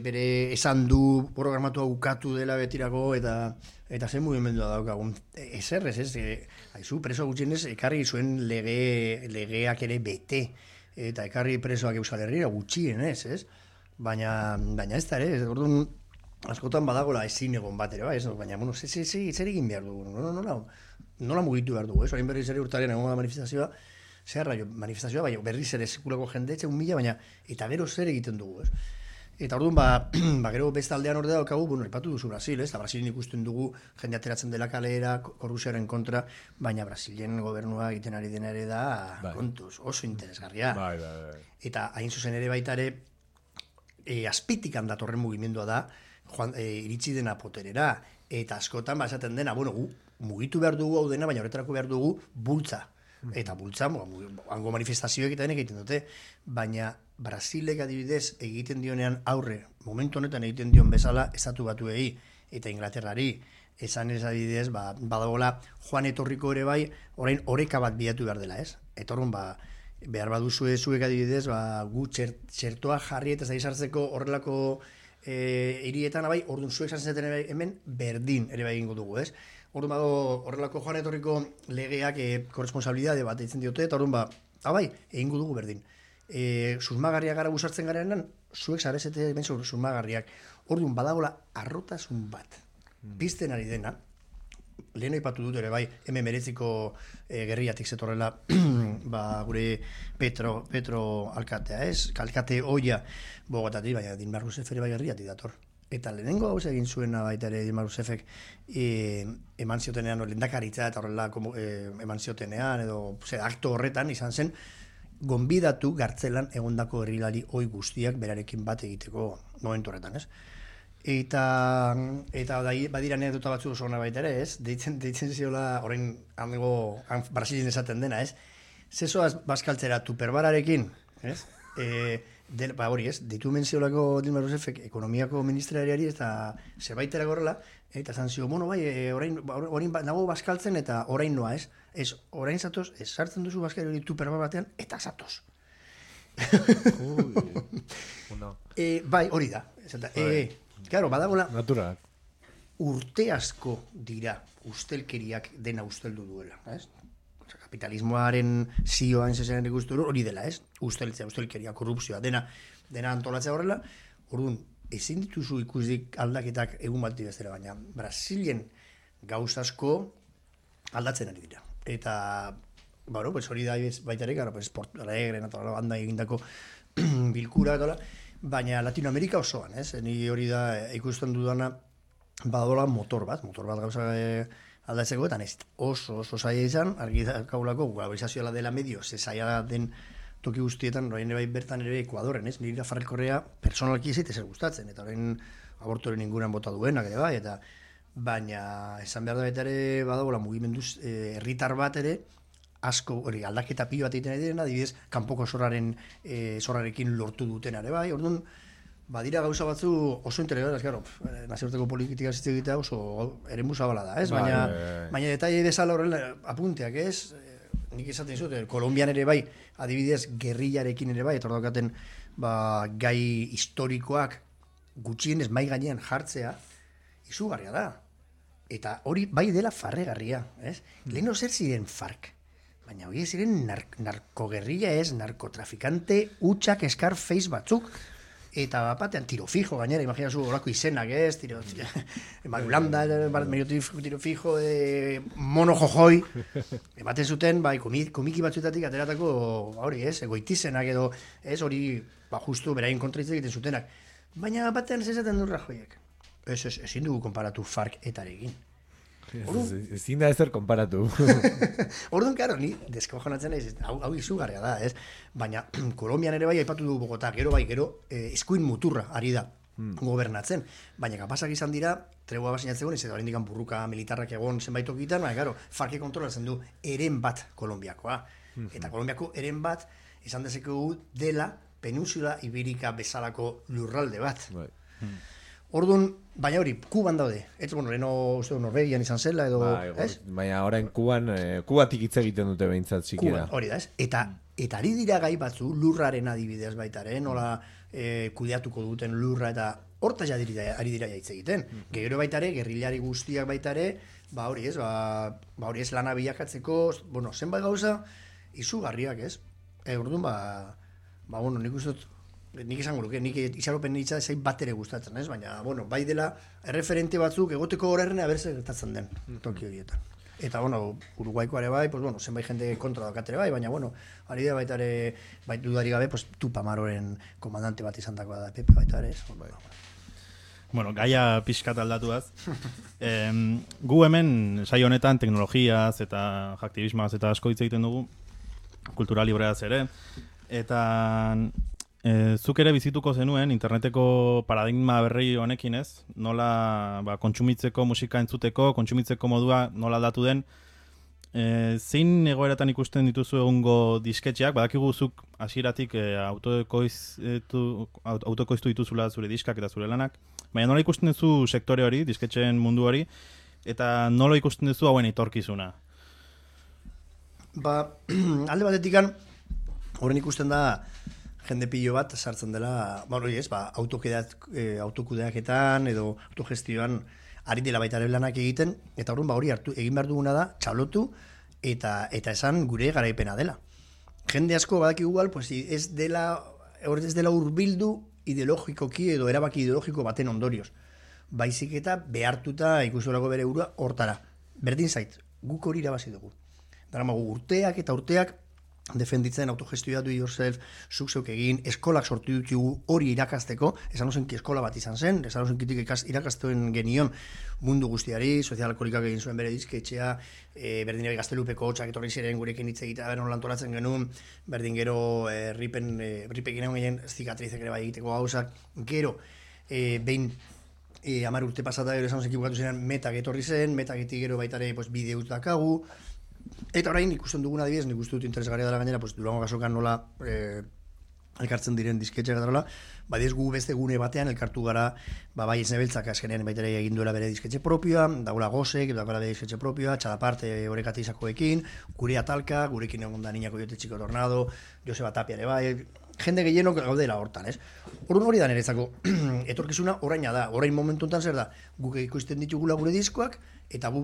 bere esan du programatua ukatu dela betirako eta zen mugimendua daukagun. Ezerrez, ez? Haizu, preso gutxienez, ekarri zuen legeak ere bete. Eta ekarri presoak Euskal Herrira gutxienez, ez? Baina ez da ere, orduan askotan badagola ezin egon bat ere, ez? Baina, zer egin behar dugu, nola mugitu behar dugu, ez? Orain berriz ere urtaren egon da manifestazioa, manifestazioa, bai, berriz ere sekulako jende, etxe 1.000, baina, eta gero zer egiten dugu, ez? Eta orduan, gero beste aldean ordea daukagu, ipatu duzu Brasil, ez? Brasilin ikusten dugu jende ateratzen dela kalera, korrupzioaren kontra, baina Brasilen gobernua egiten ari dena ere da, kontuz, oso interesgarria. Eta hain zuzen ere baita ere, azpitik handatorren mugimendua da, iritsi dena poterera, eta askotan esaten dena, mugitu behar dugu hau dena, baina horretarako behar dugu bultza. Eta bultza, hango manifestazioek eta denek egiten dute, baina Brasilek adibidez egiten dionean aurre, momentu honetan egiten dion bezala estatu batuei eta Inglaterrari, esan ez adibidez, badagoela joan etorriko ere bai, orain oreka bat bilatu behar dela, ez? Eta orduan, behar baduzue zuek adibidez, gu txertoa jarri eta zaizartzeko horrelako hirietan, orduan zuek sartzen ere hemen berdin ere bai egingo dugu, ez? Orduan horrelako joan etorriko legeak korresponsabilidade bat eitzen diote, eta orduan egingo dugu berdin. Susmagarriak gara busartzen garenan, zuek zarezete ben susmagarriak. Orduan badagola arrotasun bat. Pizten ari dena, lehen aipatu dut ere bai, hemen mereziko gerriatik zetorrela gure Petro alkatea, ez? Alkate oia Bogotatik, baina Dilma Rousseff ere bai gerriatik dator. Eta lehenengo hau egin zuena baita ere Dilma Rousseffek eman ziotenean, lehendakaritza eta horrela eman ziotenean, edo akto horretan izan zen, gonbidatu Gartzelan egondako herrilari oi guztiak berarekin bat egiteko momentu horretan, ez? Eta badira anekdota batzu oso ona baita ere, ez? Deitzen ziola, orain Brasilien esaten dena, ez? Zezoaz bazkaltzera tuperbararekin, ez? hori ez, ditu menziolako Dilma Rousseff ekonomiako ministeriari eta zerbaitera gorrela, eta esan zio, bueno, bai, orain nago bazkaltzen eta orain noa, ez? Ez, orain zatoz, ez sartzen duzu bazkari hori tuperba batean, eta zatoz. Bai, hori da. Claro, badagola, Natural. urte asko dira ustelkeriak dena usteldu duela, ez? Kapitalismoaren zioan zezen ikustu hori dela, ez? Ustelkeria, korrupzioa, dena antolatzea horrela, orduan, ezin dituzu ikusik aldaketak egun bati bestera, baina Brasilen gauz asko aldatzen ari dira. Eta, bueno, pues hori da baita ere, pues Porto Alegre, banda egindako bilkura, baina Latinoamerika osoan, ez? Ni hori da ikusten dudana badadola motor bat gauza aldatzeko, eta ez oso zaila izan, argi daukagulako globalizazioa dela medio, ze zaila den toki guztietan, orain bai bertan ere Ekuadorren, ez? Nire Rafael Correa personalki ez zer gustatzen, eta orain abortoren inguruan bota duenak ere bai, eta baina esan behar da baita ere badagoela mugimenduz herritar bat ere, asko hori aldaketa pilo bat egiten direna, adibidez, kanpoko zorrarekin lortu duten ere bai, orduan, badira gauza batzu oso interesgarriak, claro, nazioarteko politika ez egitea oso eremu zabala da, ez? Baina detaile bezala horrela apunteak, ez? Nik esaten dizut, Kolonbian ere bai, adibidez, gerrillarekin ere bai, eta hor daukaten gai historikoak gutxienez mai gainean jartzea, izugarria da. Eta hori bai dela farregarria, ez? Leheno zer ziren FARC, baina hori ziren narkogerrilla ez, narkotrafikante utxak Scarface batzuk, eta batean tiro fijo, gainera, imaginazu horako izenak, ez? Marulanda, tiro fijo, mono jojoi, ematen zuten, bai, komiki batzuetatik ateratako, hori, ez? Egoitizenak edo, ez? Hori, justu, beraien kontraitze egiten zutenak. Baina batean ez esaten du Rajoyek. Ezin dugu konparatu FARC etarekin. Ezin da ezer konparatu. Orduan, karo, ni deskojonatzen naiz, hau izugarria da, ez? Baina, Kolombian ere bai aipatu du Bogotá, gero eskuin muturra ari da gobernatzen. Baina, kapazak izan dira, tregua basinatzen ez edo harindikan burruka militarrak egon zenbait tokitan, baina, karo, FARC kontrolatzen du eren bat Kolombiakoa. Eta Kolombiako eren bat, izan dezakegu dela Península Ibirika bezalako lurralde bat. Orduan, baina hori, Kuban daude. Ez, bueno, leheno uste Norvegian izan zela edo, ez? Baina orain Kubatik hitz egiten dute behintzat txikia. Hori da, ez? Eta ari dira gai batzu, lurraren adibidez baitaren, nola kudeatuko duten lurra, eta hortaz ari dira hitz egiten. Gero baitare, gerrilari guztiak baitare, hori ez, hori ez lana bilakatzeko, bueno, zenbait gauza, izugarriak, ez? Orduan, bueno, nik uste dut, nik esango luke, nik itxaropen nitza zain bat ere gustatzen, ez? Baina, bueno, bai dela erreferente batzuk egoteko horren abertze gertatzen den toki horietan. Eta, bueno, Uruguaiko ere bai, pues, bueno, zenbait jende kontra dakatere bai, baina, bueno, ari da baita ere, dudari gabe, pues, Tupamaroren komandante bat izan dagoa da, Pepe baita ere, ez? Bueno, gaia pixkat aldatuaz. Gu hemen, saio honetan, teknologiaz eta aktivismoaz eta asko hitz egiten dugu, kultura libreaz ere, eta zuk ere bizituko zenuen interneteko paradigma berri honekin, ez? Nola kontsumitzeko, musika entzuteko, kontsumitzeko modua nola aldatu den. Zein egoeratan ikusten dituzu egungo disketxeak? Badakigu zuk hasieratik autoekoiztu dituzula zure diskak eta zure lanak. Baina nola ikusten duzu sektore hori, disketxeen mundu hori, eta nola ikusten duzu hauen etorkizuna? Alde batetikan, horren ikusten da, jende pilo bat sartzen dela, autokudeaketan edo autogestioan ari dela baita ere lanak egiten, eta hori egin behar duguna da, txalotu eta esan gure garaipena dela. Jende asko badak igual, pues, ez dela hurbildu ideologikoki edo erabaki ideologiko baten ondorioz. Baizik eta behartuta ikusolako bere burua hortara. Berdin zait, guk hori irabazi dugu. Daramagu urteak eta urteak defenditzen autogestioa do yourself, zuk zeuk egin, eskolak sortu ditugu hori irakasteko, esan ozenki eskola bat izan zen, esan ozenkitik irakastoen genion mundu guztiari, sozialkolikak egin zuen bere dizketxea, berdin ere Gaztelupeko hotxak etorri ziren gurekin hitz egitea, beron lantolatzen genuen, berdin gero ripekin egon gehien zikatrizek ere bai egiteko gauzak, gero, behin 10 urte pasata gero esan ozenki bukatu ziren metak etorri zen, metaketik gero baitare bideut dakagu. Eta orain ikusten duguna adibidez, nik uste dut interesgarria dela gainera, pues, Durango kasokan nola elkartzen diren disketxeak eta horrela, badiez gu beste gune batean elkartu gara, bai Esnebeltzak azkenean baita ere egin duela bere disketxe propioa, dagoela Gosek, dagoela bere disketxe propioa, Txalaparte Orekate izakoekin, Gure Atalka, gurekin egon da Niña Coyote Chico Tornado, Joseba Tapia ere bai, jende gehienok gaudela hortan, ez? Orduan hori da niretzako etorkizuna oraina da, orain momentu honetan zer da, guk ikusten ditugula gure diskoak, eta gu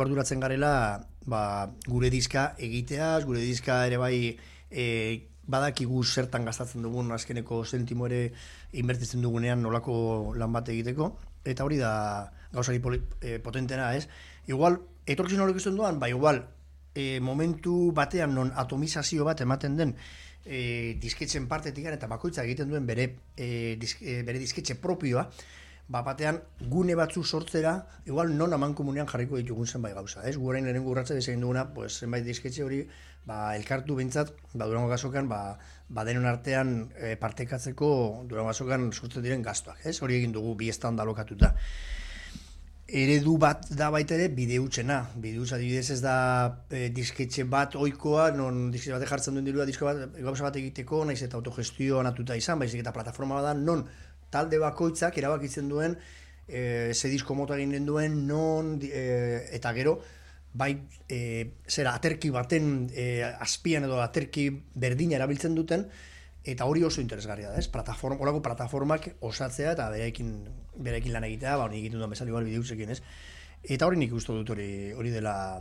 arduratzen garela gure diska egiteaz, gure diska ere bai badakigu zertan gastatzen dugun azkeneko zentimo ere inbertitzen dugunean nolako lan bat egiteko, eta hori da gauzari potentena, ez? Igual, etorkizun hori ikusten duan, igual, momentu batean non atomizazio bat ematen den disketzen partetik eta bakoitza egiten duen bere disketxe propioa, batean gune batzu sortzera, igual non amankomunean jarriko ditugun zenbait gauza, ez? Gu orain lehenengo urratsa desegin duguna, pues zenbait disketxe hori elkartu behintzat, Durango Gasokan, denon artean partekatzeko Durango Gasokan sortzen diren gastuak, ez? Hori egin dugu bi estanda alokatuta. Eredu bat da baita ere bideutzena. Bideutza adibidez ez da disketxe bat ohikoa, non disketxe batek jartzen duen dirua disko bat, gauza bat egiteko, naiz eta autogestioa natuta izan, baizik eta plataforma bat da, non talde bakoitzak erabakitzen duen ze disko mota egin duen, non eta gero bai aterki baten azpian edo aterki berdina erabiltzen duten, eta hori oso interesgarria da, ez? Horako plataformak osatzea eta berekin lan egitea, hori egiten duen bezala igual bideutzekin, ez? Eta hori nik uste dut hori dela,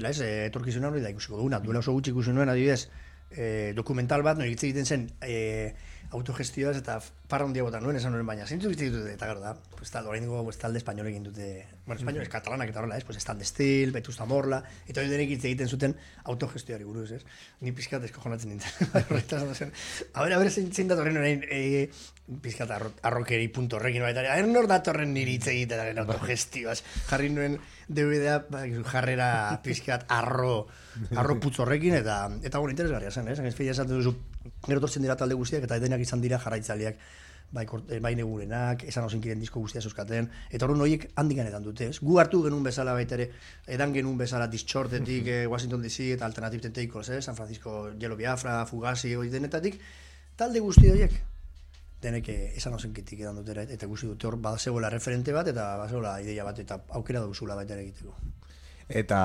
ez? Etorkizuna hori da ikusiko duguna. Duela oso gutxi ikusi nuen, adibidez, dokumental bat, nire hitz egiten zen autogestioaz eta parra handia botan nuen, esan nuen baina. Zeintzuk hitz egiten dute, eta gara da, orain dugu talde espainol egin dute, espainol ez katalanak eta horrela, ez? Estande Stil, Vetusta Morla, eta hori denek hitz egiten zuten autogestioari buruz, ez? Ni pizkat eskojonatzen nintzen. A ber, zein datorren orain pizkat arrokeri punto horrekin baita. A ber, nor datorren niri hitz egiten autogestioaz. Jarri nuen DVD-a jarrera pizkat arro putz horrekin, eta bueno, interesgarria zen, ez? Fila esaten duzu, gero tortzen dira talde guztiak, eta denak izan dira jarraitzaileak, bai Negurenak, esan osinkiren disko guztia zuzkaten, eta horren horiek handik ganetan dute, ez? Gu hartu genuen bezala baita ere, edan genuen bezala Dischortetik, Washington DC eta Alternative Tentacles, San Francisco, Yellow Biafra, Fugazi, hori denetatik, talde guzti horiek, denek esan osinkitik edan dutera, eta guzti dute hor, bazegoela referente bat, eta bazegoela ideia bat, eta aukera duzula baita ere egiteko. Eta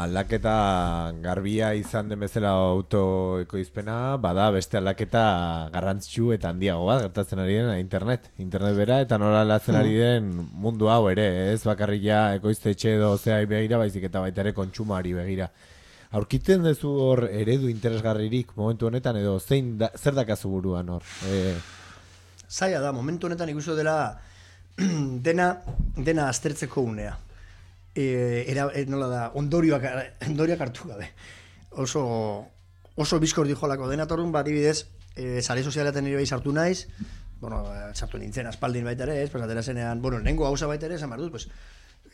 aldaketa garbia izan den bezala autoekoizpena, bada beste aldaketa garrantzitsu eta handiago bat gertatzen ari den internet bera, eta nola aldatzen ari den mundu hau ere, ez bakarria ekoiztetxe edo zeai begira, baizik eta baita ere kontsumoari begira. Aurkitzen duzu hor eredu interesgarririk momentu honetan, edo zer dakazu buruan hor? Zaila da, momentu honetan ikusten dela dena aztertzeko unea. Nola da, ondorioak hartu gabe. Oso bizkor dijolako denatorun, bat ibidez, sare sozialetan nire behi sartu naiz, sartu nintzen aspaldin baita ere, ez, atera zenean, nengo gauza baita ere, esan behar dut,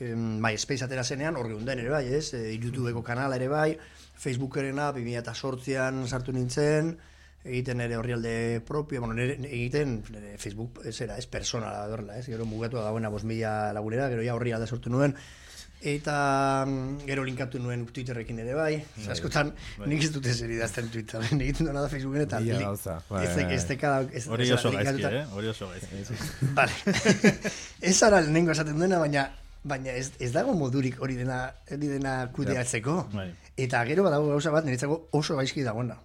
MySpace atera zenean, hor geunden ere bai, ez, YouTubeko kanala ere bai, Facebookerena, 2008an sartu nintzen, egiten ere horrialde propio, egiten Facebook, ez persona da horrela, ez, gero mugatu da dagoena 5.000 lagunera, gero ja horrialde sortu nuen, eta gero linkatu nuen Twitterrekin ere bai, askotan nik ez dute zer idazten Twitterren, egiten duena da Facebooken eta hori oso gaizki, hori oso gaizki. Vale, ez ara lehenengo esaten duena, baina ez dago modurik hori dena kudeatzeko, eta gero badago gauza bat niretzako oso gaizki dagoena,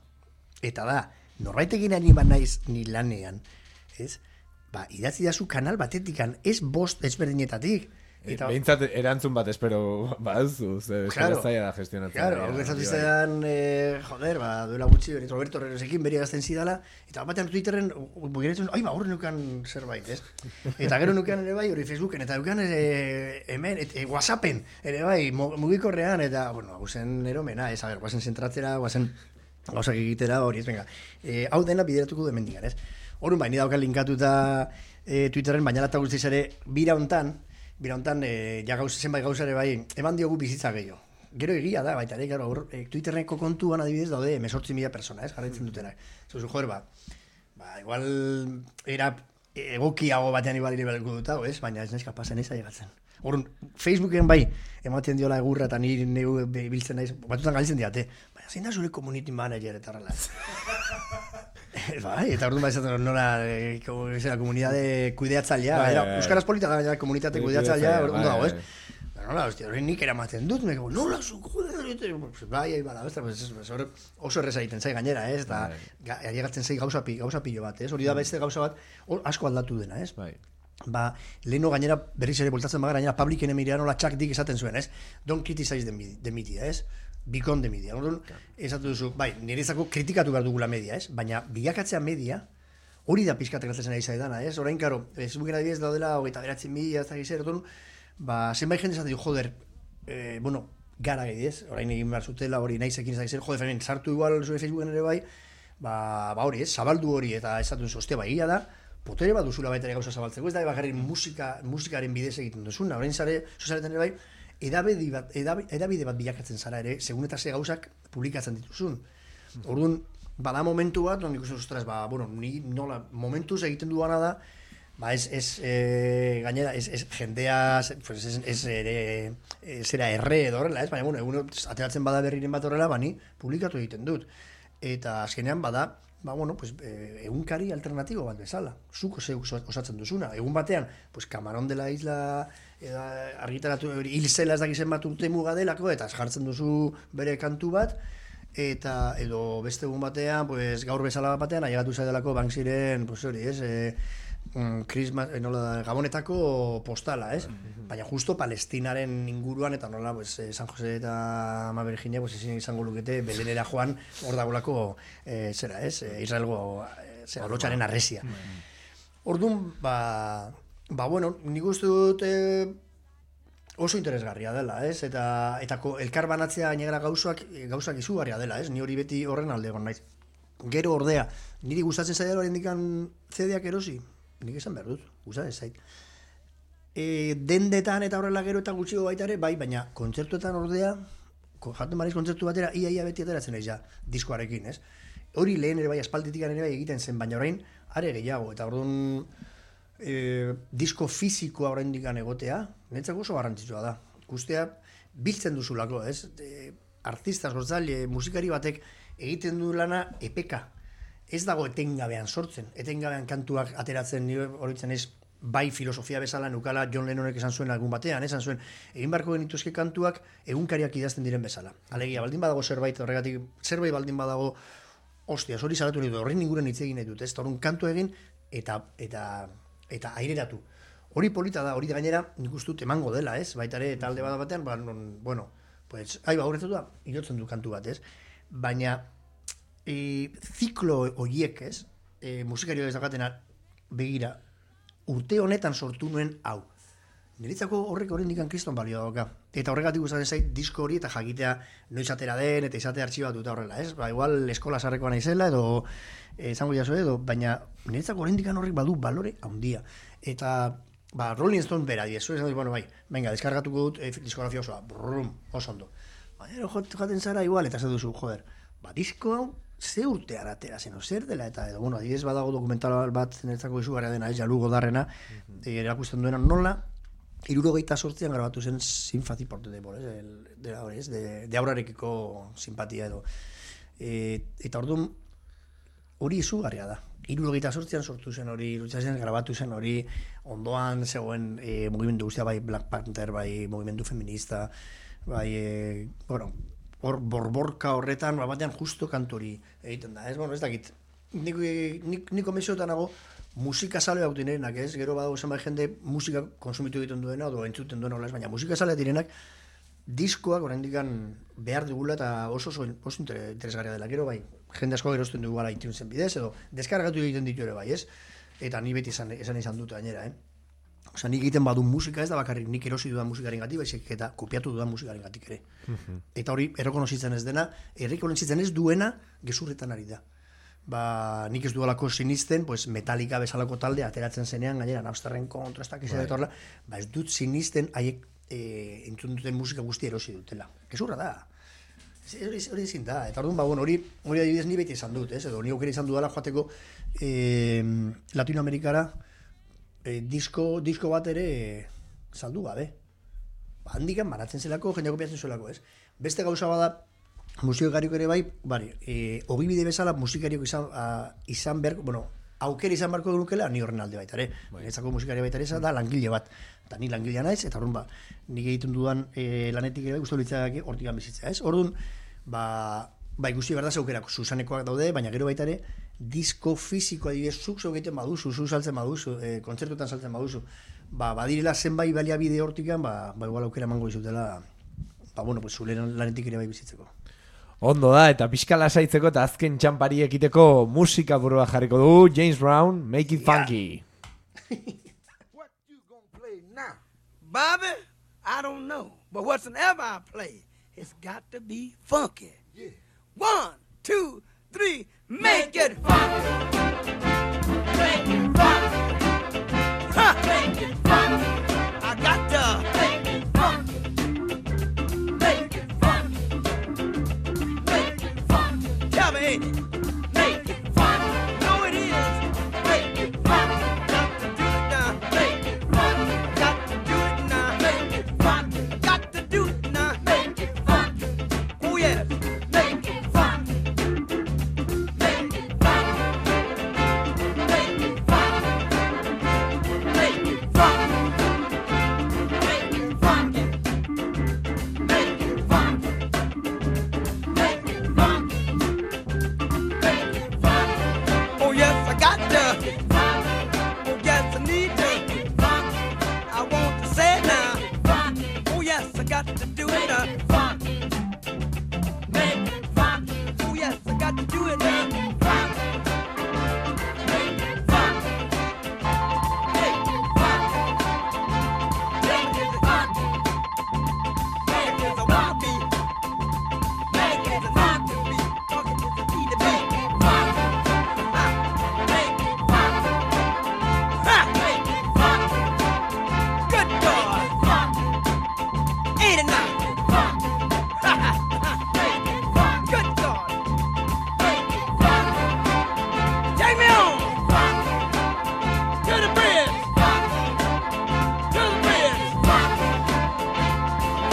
eta da, norbaitekin ari bat naiz ni lanean, ez? Idatzi dazu kanal batetikan, ez bost ezberdinetatik. Behintzat erantzun bat espero baduzu, zaila da gestionatzen. Claro, hori izan duela gutxi, Roberto Herrerosekin beri gazten zidala, eta batean Twitterren, horre nukan zerbait, ez? Eta gero nukan ere bai, hori Facebooken, eta nukan hemen, WhatsAppen, ere bai, mugikorrean, eta, guazen eromena, ez, guazen zentratzera, guazen gauzak egitera, hori ez, venga. Hau dena bideratuko du hemendikan, ez? Horren bai, nire daukan linkatuta Twitterren, baina lata guztiz ere, bira hontan, zenbait gauza ere bai, eman diogu bizitza gehiago. Gero egia da, baita ere, Twitterreko kontuan adibidez daude 18.000 persona, ez, jarraitzen dutenak. Zuzu, igual era egokiago batean igual ire beharko dut, ez, baina ez naiz kapazen ez aigatzen. Horren, Facebooken bai, ematen diola egurra eta nire biltzen naiz, batutan galitzen diate, baina zein da zure community manager eta horrela. Bai, eta orduan izaten nola komunidade kudeatzailea, euskaraz polita da komunitate kudeatzailea, orduan dago, ez? Nola, hostia, hori nik eramaten dut, nola, bai, bala, oso erreza egiten zai gainera, ez? Eta ailegatzen zai gauza pilo bat, ez? Hori da beste gauza bat, asko aldatu dena, ez? Ba, leheno gainera berriz ere boltatzen bagara, gainera Public Enemy nola Chuck Dick esaten zuen, ez? Don't criticize the media, ez? Become the media. Orduan, esatu duzu, bai, niretzako kritikatu behar dugula media, ez? Baina bilakatzea media, hori da pixkat gertatzen ari zaidana, ez? Orain, karo, Facebooken adibidez daudela, 29.000, ez da gizera, orduan, ba, zenbait jende esaten du, joder, bueno, gara gehiez, orain egin behar zutela, hori nahizekin ez da gizera, joder, femen, sartu igual zure Facebooken ere bai, ba hori, ez? Zabaldu hori, eta esatu duzu, ostia, bai, da, potere bat duzula baita ere gauza zabaltzeko, ez da bakarrik musikaren bidez egiten duzuna, orain zare, sozialetan ere bai, edabide bat bilakatzen zara ere, segun eta ze gauzak publikatzen dituzun. Orduan, bada momentu bat, non ikusten ostras, ba, bueno, ni nola, momentuz egiten duana da, ba, gainera, jendea, zera erre edo horrela, ez? Baina, bueno, egun ateratzen bada berriren bat horrela, bani, publikatu egiten dut. Eta azkenean bada, ba, bueno, pues, egunkari alternatibo bat bezala. Zuko zeuk osatzen duzuna. Egun batean, pues, Camarón de la Isla argitaratu hil zela ez dakizen bat urte muga delako, eta jartzen duzu bere kantu bat, eta edo beste egun batean, pues, gaur bezala batean, ailegatu zaidelako Banksyren, pues, hori, ez, Gabonetako postala, ez? Baina justo Palestinaren inguruan, eta nola, pues, San Jose eta Ama Virginia, pues, izango lukete, Belenera joan, hor dagolako, zera, ez? Israelgo, lotxaren arresia. Orduan, ba, bueno, nik uste dut oso interesgarria dela, ez? Eta elkar banatzea gainera gauzak izugarria dela, ez? Ni hori beti horren alde egon naiz. Gero ordea, niri gustatzen zaidala oraindikan CD-ak erosi, nik esan behar dut, gustatzen zait. Dendetan eta horrela gero eta gutxiago baita ere, bai, baina kontzertuetan ordea, jaten bariz kontzertu batera, ia beti ateratzen naiz ja, diskoarekin, ez? Hori lehen ere bai, aspalditikan ere bai egiten zen, baina orain, are gehiago, eta orduan, disko fisikoa oraindikan egotea, netzako oso garrantzitsua da. Ikustea biltzen duzulako, ez? Artista, sortzaile, musikari batek egiten du lana epeka. Ez dago etengabean sortzen, etengabean kantuak ateratzen, nire horitzen ez, bai filosofia bezala nukala John Lennonek esan zuen algun batean, esan zuen, egin barko genituzke kantuak egunkariak idazten diren bezala. Alegia, baldin badago zerbait, horregatik, zerbait baldin badago, ostia, hori salatu nitu, horren inguren hitz egin nahi dut, ez? Horren kantu egin, eta aireratu. Hori polita da, hori gainera nik uste dut emango dela, ez? Baita ere talde bada batean, bueno, pues, aurretu da, irotzen du kantu bat, ez? Baina, ziklo horiek, ez? Musikario ez dakatena begira, urte honetan sortu nuen hau. Niretzako horrek horrendikan kriston balio dauka. Eta horregatik gustatzen zait disko hori eta jakitea noiz atera den eta izate artxibatuta horrela, ez? Ba, igual eskola sarrekoa naizela edo izango jaso edo, baina niretzako horrendikan horrek badu balore handia. Eta ba, Rolling Stone bera diezu, ez bueno, bai, venga, deskargatuko dut diskografia osoa, brum, oso ondo. Baina jaten zara igual, eta zer duzu, joder, ba, disko hau ze urtean atera zen, zer dela, eta edo, bueno, adibidez badago dokumental bat niretzako izugarria dena, ez, Jalu Godarrena, erakusten duena nola, 78an grabatu zen Sympathy for the Devil, de aurarekiko simpatia edo. Eta orduan, hori izugarria da. 78an sortu zen hori, 78an grabatu zen hori, ondoan zegoen mugimendu guztia, bai Black Panther, bai mugimendu feminista, bai, bueno, hor borborka horretan, batean justo kantori egiten da, ez? Bueno, ez dakit, niko mesiotan nago, musika sale hau direnak, ez? Gero badago zenbait jende musika konsumitu egiten duena, edo entzuten duena, baina musika sale direnak, diskoak oraindikan behar dugula eta oso interesgarria dela. Gero bai, jende asko gerozten dugu gara iTunesen bidez, edo deskargatu egiten ditu ere bai, ez? Eta ni beti izan dut gainera, Osa, nik egiten badu musika ez da bakarrik nik erosi dudan musikaren gatik, baizik eta kopiatu dudan musikaren gatik ere. Eta hori, errekonozitzen ez dena, errekonozitzen ez duena gezurretan ari da. Ba, nik ez dualako sinisten, pues, Metallica bezalako talde ateratzen zenean, gainera, Napsterren kontrastak izan dut horrela, ba, ez dut sinisten haiek entzun duten musika guzti erosi dutela. Gezurra da. Hori ezin da. Eta orduan, ba, bueno, hori adibidez ni beti izan dut, ez? Edo ni aukera izan dudala joateko Latinoamerikara disko bat ere saldu gabe. Ba, handikan baratzen zelako, jendea kopiatzen zuelako, ez? Beste gauza bada, musikariok ere bai, ogibide bezala musikariok izan behar, bueno, aukera izan beharko dukela, ni horren alde baita ere. Etzako musikari baita ere, da langile bat. Eta ni langilea naiz, eta orduan nik egiten dudan lanetik ere guztu litzak hortikan bizitzea, ez? Orduan, ikusi behar da zeukerak zuzanekoak daude, baina gero baita ere, disko fisiko adibidez, zuk egiten baduzu, zu saltzen baduzu, kontzertuetan saltzen baduzu, badirela zenbait baliabide hortikan, igual aukera emango dizutela, zure lanetik ere bai bizitzeko. Ondo da, eta pixka lasaitzeko eta azken txampari ekiteko musika burua jarriko du, James Brown, Make It Funky. What you gonna play now? Bobby, I don't know. But whatsoever I play, it's got to be funky. Yeah. 1, 2, 3, make it funky. Make it funky. Ha! Make it funky. I got to make it funky. Make it funky. Make it funky. Tell me, ain't it? Make it funky. No, it is. Make it funky. Got to do it now. Make it funky. Got to do it now. Make it funky. Got to do it now. Make it funky. Oh yes. Make it funky. Make it funky. Make it funky. Make it funky. Make it funky. Make it funky. Make it funky. Make it funky. Oh yes, I got to. Oh yes, I need to. I want to say it now. Oh yes, I got to do it now. Make it funky. Oh yes, I got to do it now. Make it funky. Make it funky. Make it funky. Make it a want to be. Make it a not to be. Funky is the key to be. Ha! Make it funky. Ha! Make it funky. Good God. Ain't it now? Ha ha ha! Make it funky. Good God. Make it funky. Take me on to the bridge. To the bridge.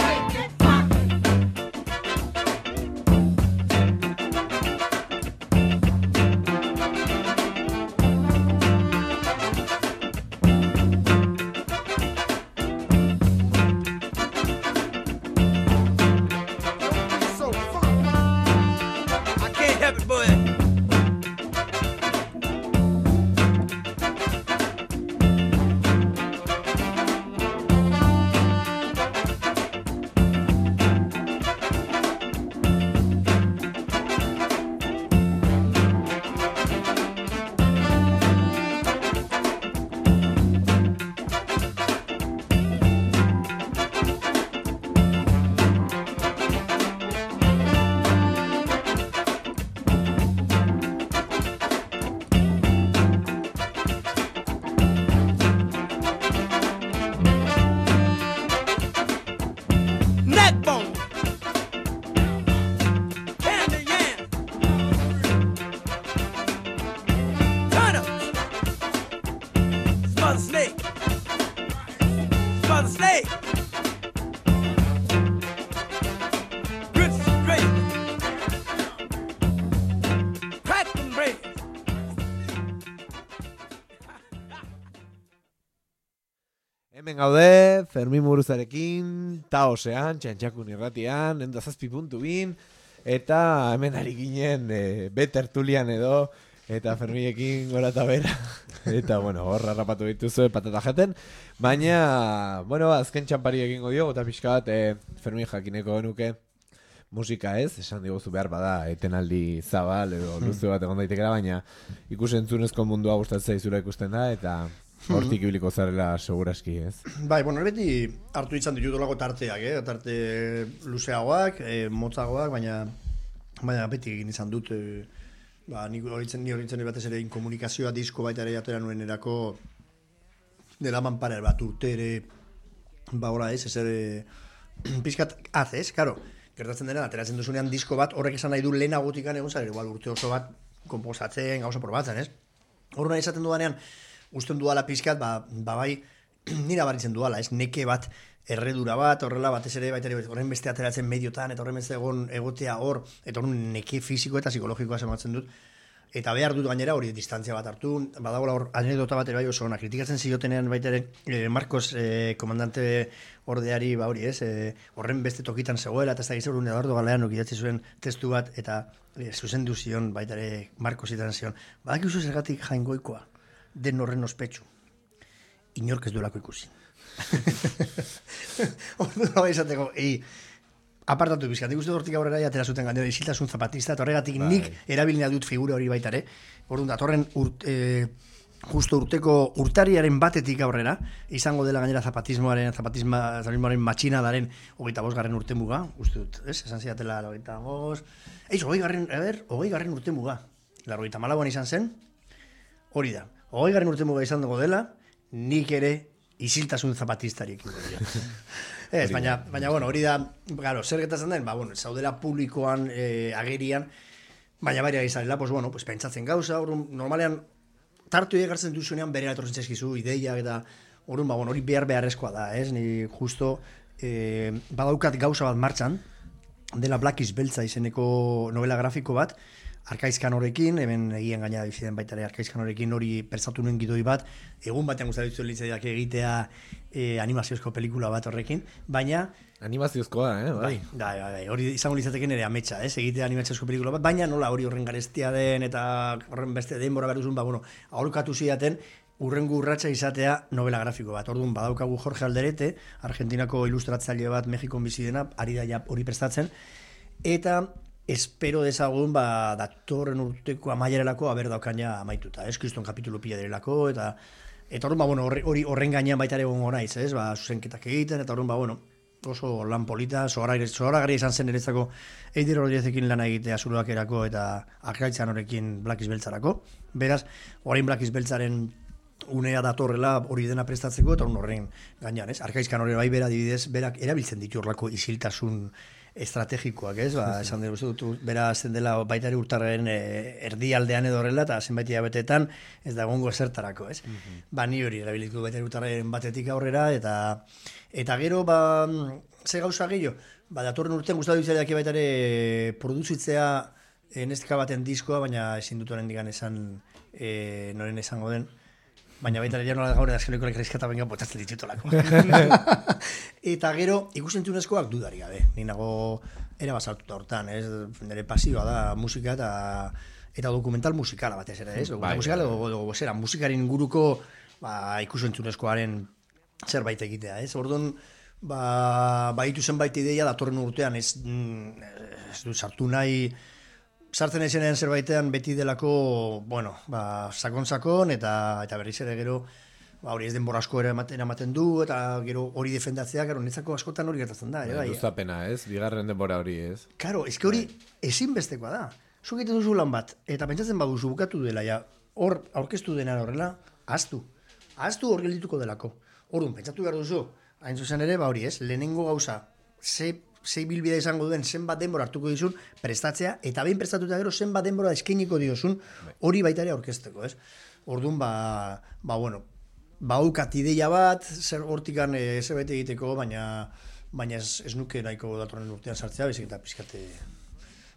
Make it funky. So funky. I can't help it, boy. Neckbone, candy yam, turnips, smother snake, smother snake, grits and gravy, crack and bread. Hemen gaude, Fermin Muruzarekin, Taosean, Txantxakun irratian, 107.2, eta hemen ari ginen betertulian edo, eta Ferminekin gora eta bera, eta bueno, horra rapatu dituzue patata jaten, baina, bueno, azken txampari egingo dio, eta pixka bat, Fermin jakineko genuke, musika ez, esan diguzu behar bada, etenaldi zabal edo luze bat egon daitekera, baina ikusentzunezko mundua gustatzen zaizura ikusten da, eta hortik ibiliko zarela seguraski, ez? Bai, beti hartu izan ditutolako tarteak, tarte luzeagoak, motzagoak, baina beti egin izan dut, ni horitzen batez ere inkomunikazioa disko baita ere atera nuen erako dela manparer bat urte ere, hola ez ere, pizkat ez, karo, gertatzen dena, ateratzen duzunean disko bat, horrek esan nahi du lehenagotikan egon zara, igual urte oso bat komposatzen, gauza probatzen, ez? Horren esaten dudanean, usten duala pizkat, bai, nira baritzen duala, ez neke bat erredura bat, horrela batez ere baita ere horren beste ateratzen mediotan, eta horren beste egotea hor, eta horren neke fisiko eta psikologikoa sematzen dut. Eta behar dut gainera hori distantzia bat hartu, badagoela hor anekdota bat ere bai oso ona, kritikatzen ziotenean baita ere Marcos komandante ordeari hori horren beste tokitan zegoela, eta ez da gizur Eduardo Galeanok idatzi zuen testu bat, eta zuzendu zion baita ere Marcos itan zion. Badakizu zergatik Jaingoikoa, den horren ospetsu, inork ez duelako ikusi. Ordu bai izateko, apartatu bizkat, ikustu hortik aurrera atera zuten gainera isiltasun zapatista, eta horregatik nik erabilina dut figura hori baita ere. Orduan, datorren justo urtariaren batetik aurrera, izango dela gainera zapatismoaren matxinadaren 25. urtemuga, uste dut, esan zidatela 25. 20. urtemuga. 94an izan zen, hori da. 20. urtemuga izan dugu dela, nik ere isiltasun zapatistarik. Baina, bueno, hori da, claro, zer gertatzen den, zaudela publikoan agerian, baina bari izanela, pentsatzen gauza, normalean, tartu egartzen duzunean berera etortzen zaizkizu, ideia, eta hori beharrezkoa da, ni justo badaukat gauza bat martxan, dela Black is Beltza izeneko novela grafiko bat, Arkaizkan horrekin, hemen egien gaina biziden baita ere Arkaizkan horrekin hori pertsatu nuen gidoi bat, egun batean guztatu litzaidak egitea animaziozko pelikula bat horrekin, baina... Animaziozkoa, bai. Hori izango litzateken ere ametsa, egitea animaziozko pelikula bat, baina nola hori horren garestia den eta horren beste denbora garuzun, aholkatu zidaten, urrengo urratsa izatea novela grafiko bat. Orduan badaukagu Jorge Alderete, Argentinako ilustratzaile bat Mexikon bizi dena, ari da hori prestatzen, eta espero dezagun datorren urteko amaierelako haber daukaina amaituta, kriston kapitulu pila direlako, eta orduan hori horren gainean baita ere gongo naiz, zuzenketak egiten, eta orduan oso lan polita, zoragarria izan zen eretzako Eider Rodríguezekin lana egitea Zuloakerako eta Arkaitzan horrekin Black is Beltzarako. Beraz, orain Black is Beltzaren unea datorrela hori dena prestatzeko, eta horren gainean, Arkaizkan hori bai bera adibidez, berak erabiltzen ditu horrelako isiltasun estrategikoak, esan dugu, bera zen dela baita ere urtarren erdialdean edo horrela, eta zenbait hilabeteetan ez da egongo esertarako, ni hori erabilitu baita ere urtarren batetik aurrera, eta gero, ze gauza gehiago, datorren urtean gustatu ditzaileak baita ere produzitzea nestika baten diskoa, baina ezin dut horren digan esan noren esango den, baina baita ere nola gaur edazkeneko lekrizkata benga botatzen ditutolako. Eta gero, ikusentzunezkoak dudari gabe. Ni nago erabazartuta hortan, nire pasioa da musika eta dokumental musikala batez ere, dokumental musikala edo musikaren inguruko ikusentzunezkoaren zerbait egitea, Orduan, baitu zenbait ideia datorren urtean ez du sartu nahi sartzen ezenean zerbaitean beti delako, sakon eta berriz ere gero, hori ez denbora asko ematen du, eta gero hori defendatzea, gero netzako askotan hori gertatzen da. Luzapena, bigarren denbora hori, Karo, ez hori ezinbestekoa da. Zuk egiten duzu lan bat, eta pentsatzen baduzu bukatu dela, hor aurkeztu dena horrela, ahaztu hor geldituko delako. Orduan, pentsatu behar duzu, hain zuzen ere, hori lehenengo gauza, zei bilbidea izango duen zenbat denbora hartuko dizun prestatzea, eta behin prestatuta gero zenbat denbora eskainiko diozun hori baita ere aurkezteko, Orduan, baukat ideia bat, zer hortikan zerbait egiteko, baina ez nuke nahiko datorren urtean sartzea, bezik eta pizkate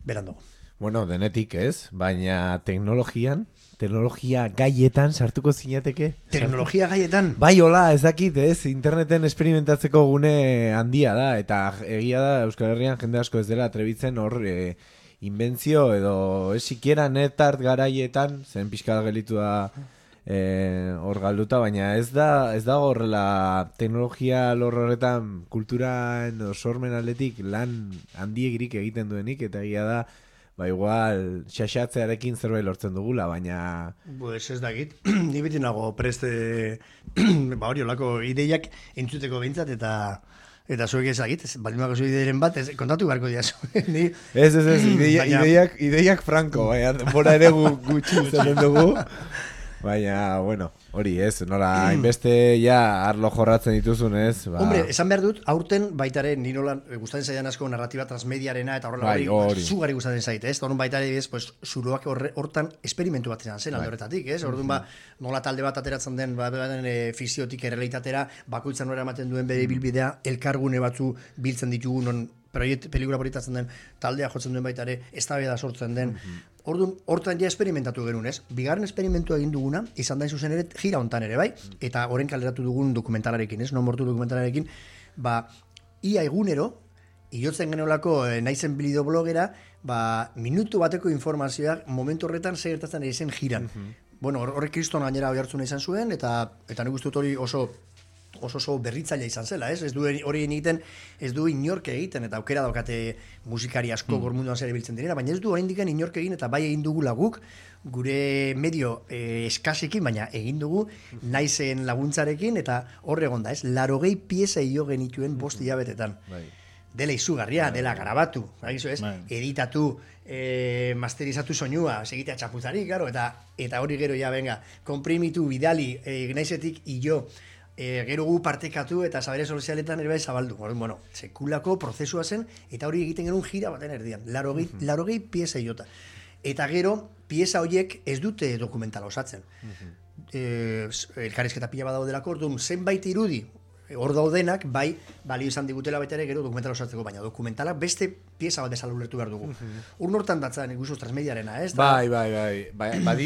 berandago. Bueno, denetik baina teknologia gaietan sartuko zinateke? Teknologia gaietan? Bai, hola, ez dakit, interneten experimentatzeko gune handia da, eta egia da Euskal Herrian jende asko ez dela atrebitzen hor inbentzio edo sikiera netart garaietan, zen pixka gelitu da hor galduta, baina ez da horrela teknologia lor horretan kulturan sormen aldetik lan handiegirik egiten duenik, eta egia da igual xaxatzearekin zerbait lortzen dugula, baina... Ez dakit, ni beti nago preste hori olako ideiak entzuteko behintzat, eta zuek ezagit, baldin bako zu ideiren bat, kontatu beharko diazu. Ez, ideiak franko, bora ere gutxi izaten dugu. Baina, bueno, hori ez, nola, hainbeste ja arlo jorratzen dituzun ez. Ba... Hombre, esan behar dut, aurten baitare ni nola gustatzen zaidan asko narratiba transmediarena eta horrela hori zugari gustatzen zaite, ez? Orduan baitare pues zuloak hortan esperimentu bat izan zen alde horretatik, ez? Orduan ba nola talde bat ateratzen den fikziotik errealitatera, bakoitzan nora ematen duen bere ibilbidea, elkargune batzu biltzen ditugu non pelikula proiektatzen den taldea jotzen duen baita ere, eztabaida sortzen den. Orduan, hortan ja esperimentatu genuen, ez? Bigarren esperimentua egin duguna, izan da zuzen ere, gira hontan ere, bai? Eta horren kaleratu dugun dokumentalarekin, ez? Non mortu dokumentalarekin, ba, ia egunero, iotzen genolako naizen bilido blogera, ba, minutu bateko informazioak momentu horretan segertatzen ari zen jiran. Bueno, horrek kriston gainera hori hartzuna izan zuen, eta nik uste dut hori oso berritzailea izan zela, ez? Ez du hori egiten, ez du inork egiten, eta aukera daukate musikari asko gormunduan zer biltzen direna, baina ez du oraindik inork egin, eta bai egin dugu guk, gure medio eskasekin, baina egin dugu naizen laguntzarekin, eta hor egon da, ez? 80 pieza jo genituen 5 hilabetetan. Dela izugarria, dela grabatu, ez? Editatu, masterizatu soinua, segitea txapuzarik, claro, eta hori gero ja, venga, konprimitu, bidali, naizetik jo, gero gu partekatu eta sabere sozialetan ere bai zabaldu. Bueno, sekulako prozesua zen eta hori egiten genuen gira baten erdian. 80 pieza jota. Eta gero, pieza horiek ez dute dokumentala osatzen. Elkarrizketa pila badaudelako, orduan zenbait irudi hor daudenak, bai, balio izan digutela baita ere gero dokumentala osatzeko, baina dokumentalak beste pieza bat bezala ulertu behar dugu. Urnortan datzan ikustu transmediarena, ez? Bai.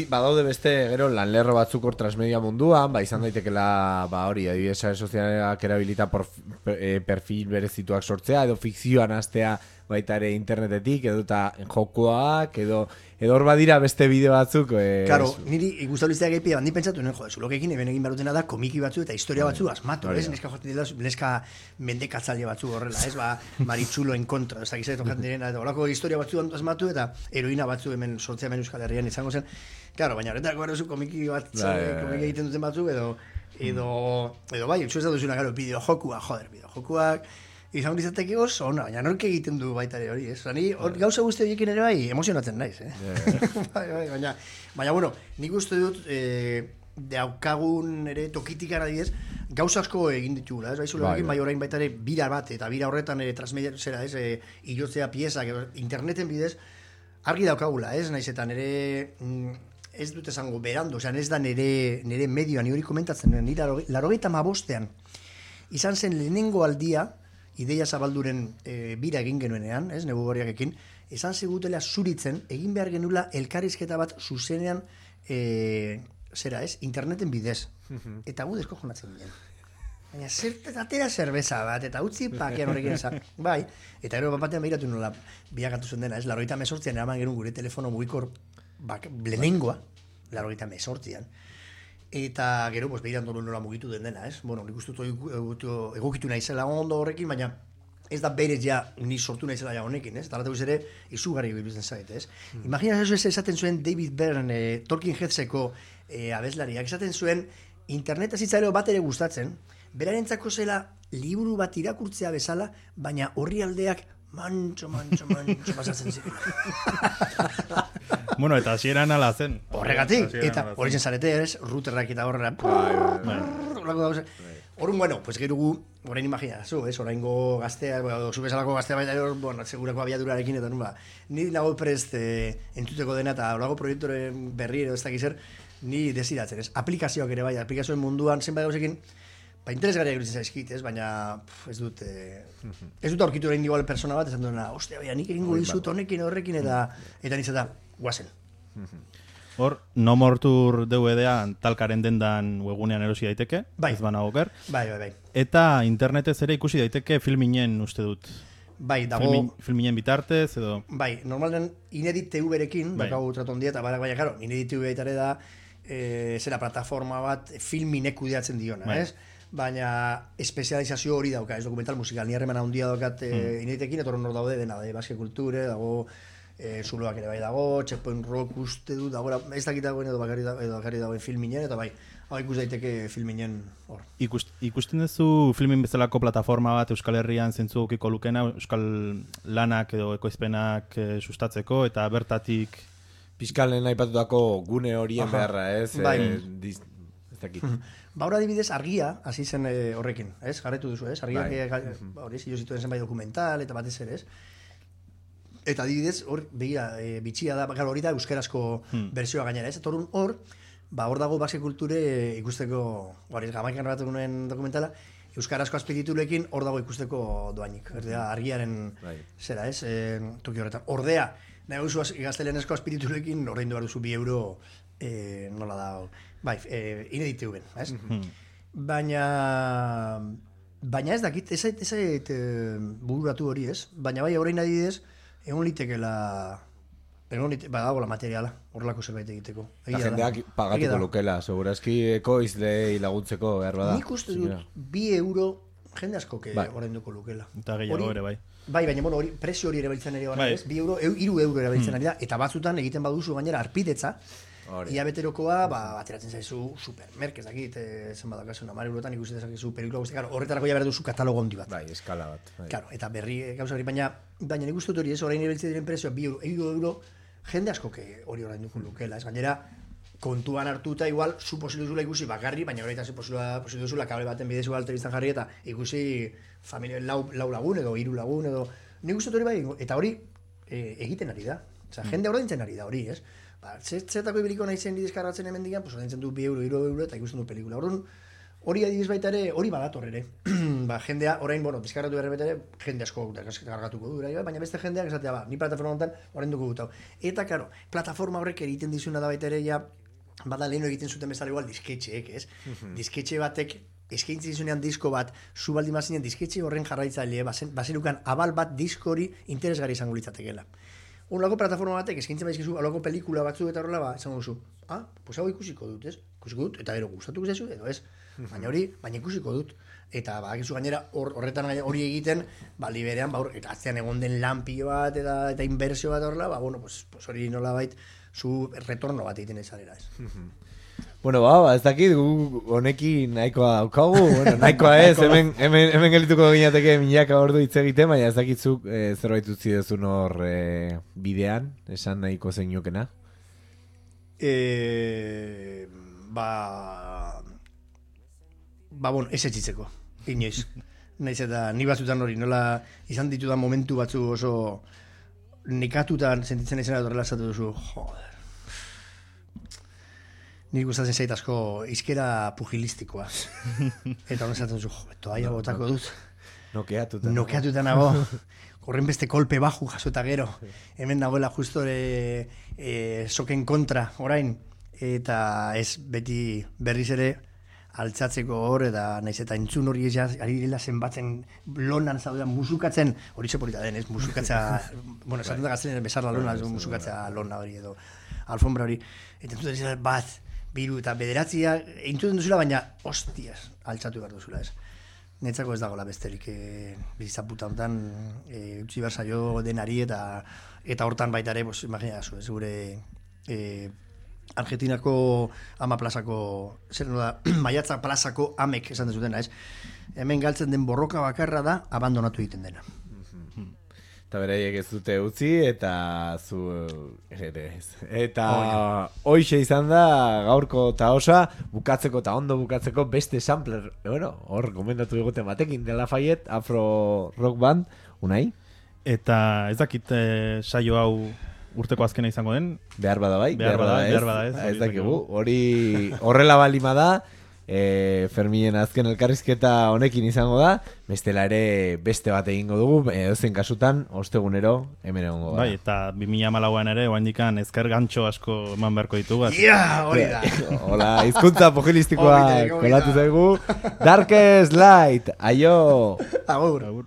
Badaude beste gero lanlerro batzuk hor transmedia munduan, ba, izan daitekela, ba, hori, adibidez sare sozialak erabilita perfil berezituak sortzea, edo fikzioan hastea baita ere internetetik, edo eta jokoak, edo hor badira beste bideo batzuk. Claro, niri gustabiliztea gehi bandi pentsatu, zulokekin egin barutena da komiki batzu eta historia batzu asmatu, ez? Neska jotzen dira, neska mendekatzaile batzu horrela, ez? Ba, maritzuloen kontra, ez dakiz jotzen direna, eta horako historia batzu asmatu eta heroina batzu hemen sortzea hemen Euskal Herrian izango zen. Claro, baina horretako gara zu komiki bat, komiki egiten duten batzu, edo bai, ez da duzuna, claro, bideojokuak, izan izateke oso, baina nork egiten du baita ere hori, ez? Gauza guzti horiekin ere bai, emozionatzen naiz, baina, bueno, nik uste dut, daukagun ere tokitik adibidez, gauza asko egin ditugula, ez? Bai orain baita ere bira bat, eta bira horretan transmedia, zera, ez? Ilotzea piezak, interneten bidez, argi daukagula, ez? Naiz eta nire, ez dut esango berando, ez da nire medioa, ni hori komentatzen, nire 85ean, izan zen lehenengo aldia, ideia zabalduren bira egin genuenean, ez, negu gorriakekin, esan zigutela zuritzen, egin behar genula elkarrizketa bat zuzenean, interneten bidez. Eta gu desko jonatzen ginen. Baina atera zerbeza bat, eta utzi pakean horrekin esan. Bai, eta gero batean behiratu nola biakatu zen dena, ez, 98an eraman genuen gure telefono mugikor lehenengoa, 98an. Eta gero, behiran dolu nola mugitu den dena, ez? Bueno, nik uste egokitu naizela ondo horrekin, baina ez da berez ja ni sortu naizela ja honekin, ez? Eta ere izugarri bilbitzen zait, ez? Imagina ez esaten zuen David Byrne, Talking Headseko abeslariak, esaten zuen internet azitzaileo bat ere gustatzen, berarentzako zela liburu bat irakurtzea bezala, baina horri aldeak mantxo pasatzen ziren. Bueno, eta hasieran ala zen. Horregatik, eta hori zen zarete, ez? Routerrak eta horrela. Horren, bueno, pues gero gu, orain imagina, ez? Oraingo gaztea, zu bezalako gaztea baita, bueno, segurako abiadurarekin, eta nula, ni nago prest entzuteko dena, eta horako proiektoren berri edo ez dakizer, ni desiratzen, ez? Aplikazioak ere bai, aplikazioen munduan, zenbait gauzekin, interesgarria egitzen zaizkit, ez? Baina ez dut aurkitu orain igual persona bat, esan duena, ostia, baina nik egingo dizut honekin horrekin, eta niz eta guazen. Hor, No More Tour DVD-a talkaren dendan webgunean erosi daiteke, ez banago oker. Bai. Eta internetez ere ikusi daiteke filminen uste dut. Bai, dago... Filminen bitartez, edo... Bai, normalden Inedit TV-rekin, bakagu traton dieta, baina, karo, Inedit TV baitare da, zera plataforma bat filminek kudeatzen diona, ez? Baina espezializazio hori dauka, ez dokumental musikal, ni harremana handia daukat Ineditekin, eta hor daude dena, Basque Kulture, dago... zuloak ere bai dago, Checkpoint Rock uste du, dago, ez dakit dagoen edo bakarri dagoen filminen, eta bai, hau ikus daiteke filminen hor. Ikusten duzu filmin bezalako plataforma bat Euskal Herrian zentzu okiko lukena, Euskal lanak edo ekoizpenak sustatzeko, eta bertatik Piskalen aipatutako gune horien beharra, ez? Bai. Ez dakit. Ba, hor adibidez, argia, hasi zen horrekin, ez? Jarretu duzu, ez? Argiak, hori, zio zituen zenbait dokumental, eta batez ere, ez? Eta adibidez, hor, begira, bitxia da, hori da euskerazko bersioa gainera, ez? Eta hor, hor dago base kulture ikusteko, hori, Jamaikan grabatu nuen dokumentala, euskarazko azpititulekin hor dago ikusteko doainik. Argiaren zera, ez? Toki horretan. Ordea, nahi guzu gaztelenezko azpititulekin ordaindu behar duzu 2 euro nola da, bai, inedite ben, ez? Baina ez dakit, ez zait bururatu hori, ez? Baina bai, horrein adidez, egon litekela, badago la materiala, horrelako zerbait egiteko. Jendeak pagatuko lukela, segurazki ekoizlei laguntzeko behar bada. Nik uste dut, 2 euro jende asko ordainduko lukela. Eta gehiago ere, bai. Bai, baina hori, presio hori erabiltzen ere bada, ez? 2 euro, 3 euro erabiltzen ari da, eta batzutan egiten baduzu gainera arpidetza, ia beterokoa, ateratzen zaizu supermerk, ez dakit, zen badakasun, 10 eurotan ikusi dezakezu pelikula guzti, horretarako ja behar duzu katalogo handi bat. Bai, eskala bat. Claro, eta berri gauza hori, baina nik uste dut hori ez, orain erabiltzen diren presioa 2 euro, jende asko hori orainduko lukela, ez gainera, kontuan hartuta igual, zu posilu duzula ikusi bakarri, baina horreita posilu duzula kable baten bidez igual telebistan jarri eta ikusi familia lau lagun edo 3 lagun edo, nik uste dut hori bai, eta hori egiten ari da, jende ordaintzen ari da hori, ez? Zertako ibiliko nahi zen dideskarratzen hemen digan, ordaintzen du 2 euro, 3 euro eta ikusten du pelikula. Hori adibiz baita ere, hori badator ere. Jendea, orain, deskargatu berre ere, jende asko deskargatuko du, baina beste jendeak esatea, ni plataforma honetan orainduko dut hau. Eta, karo, plataforma horrek egiten dizuna da baita ere, bada leheno egiten zuten bezala igual disketxeek, ez? Disketxe batek, eskaintzen dizunean disko bat, zu baldin bazinen disketxe horren jarraitzaile, bazenukan abal bat disko hori interesgarri izango litzatekeela. Horrelako plataforma batek eskaintzen baizkizu, horrelako pelikula batzu eta horrela, izango duzu. Pues hau ikusiko dut, ez? Ikusiko dut, eta gero gustatuko zaizu, edo ez? Baina ikusiko dut. Eta bakizu gainera horretan hori egiten, liberean, eta atzean egon den lanpio bat eta inbertsio bat horrela, pues hori nolabait zu retorno bat egiten ezarera, ez? Bueno, ez dakit, honekin nahikoa daukagu, nahikoa ez, hemen gelituko ginateke milaka ordu hitz egiten, baina ez dakitzuk zerbait utzi dezun hor bidean, esan nahiko zeinukena? Ez etxitzeko, inoiz. Naiz eta ni batzutan hori, nola izan ditudan momentu batzu oso nekatutan sentitzen izan horrela esatu duzu, joder. Nik gustatzen zait asko izkera pugilistikoa. Eta honen zaten duzu, toaia botako dut. Nokeatuta nago. Horren beste kolpe baju jaso eta gero. Hemen nagoela justo soken kontra, orain. Eta ez beti berriz ere altzatzeko hor, eta naiz eta entzun hori ari dela zenbatzen lonan zaudean musukatzen, hori zeporita den, ez? Musukatza, esaten da gaztelen besar la lona, musukatza lona hori edo alfombra hori. Eta entzuten dizela bat, 2 eta 9 entzuten duzula, baina hostias, altzatu behar duzula, ez? Netzako ez dagoela besterik bizitza puta honetan, utzi behar zaio denari eta hortan baita ere, imagina zu, ez gure Argentinako ama plazako, zer da, Maiatza plazako amek esan dezutena, ez? Hemen galtzen den borroka bakarra da, abandonatu egiten dena. Eta beraiek ez dute utzi, eta zu ez. Eta hoxe izan da gaurko eta osa, bukatzeko eta ondo bukatzeko beste sampler, hor gomendatu eguten batekin, De La Fayette, Afro Rock Band, Unai? Eta ez dakit saio hau urteko azkena izango den? Behar bada bai, behar bada ez. Ez dakigu, hori horrela balima da, Ferminen azken elkarrizketa honekin izango da, bestela ere beste bat egingo dugu, edozein kasutan, ostegunero hemen egongo da. Bai, eta 2014an ere, oaindikan ezker gantxo asko eman beharko ditugu. Hori da. Hola, hizkuntza pugilistikoa kolatu zaigu. Darkest Light, aio! Agur.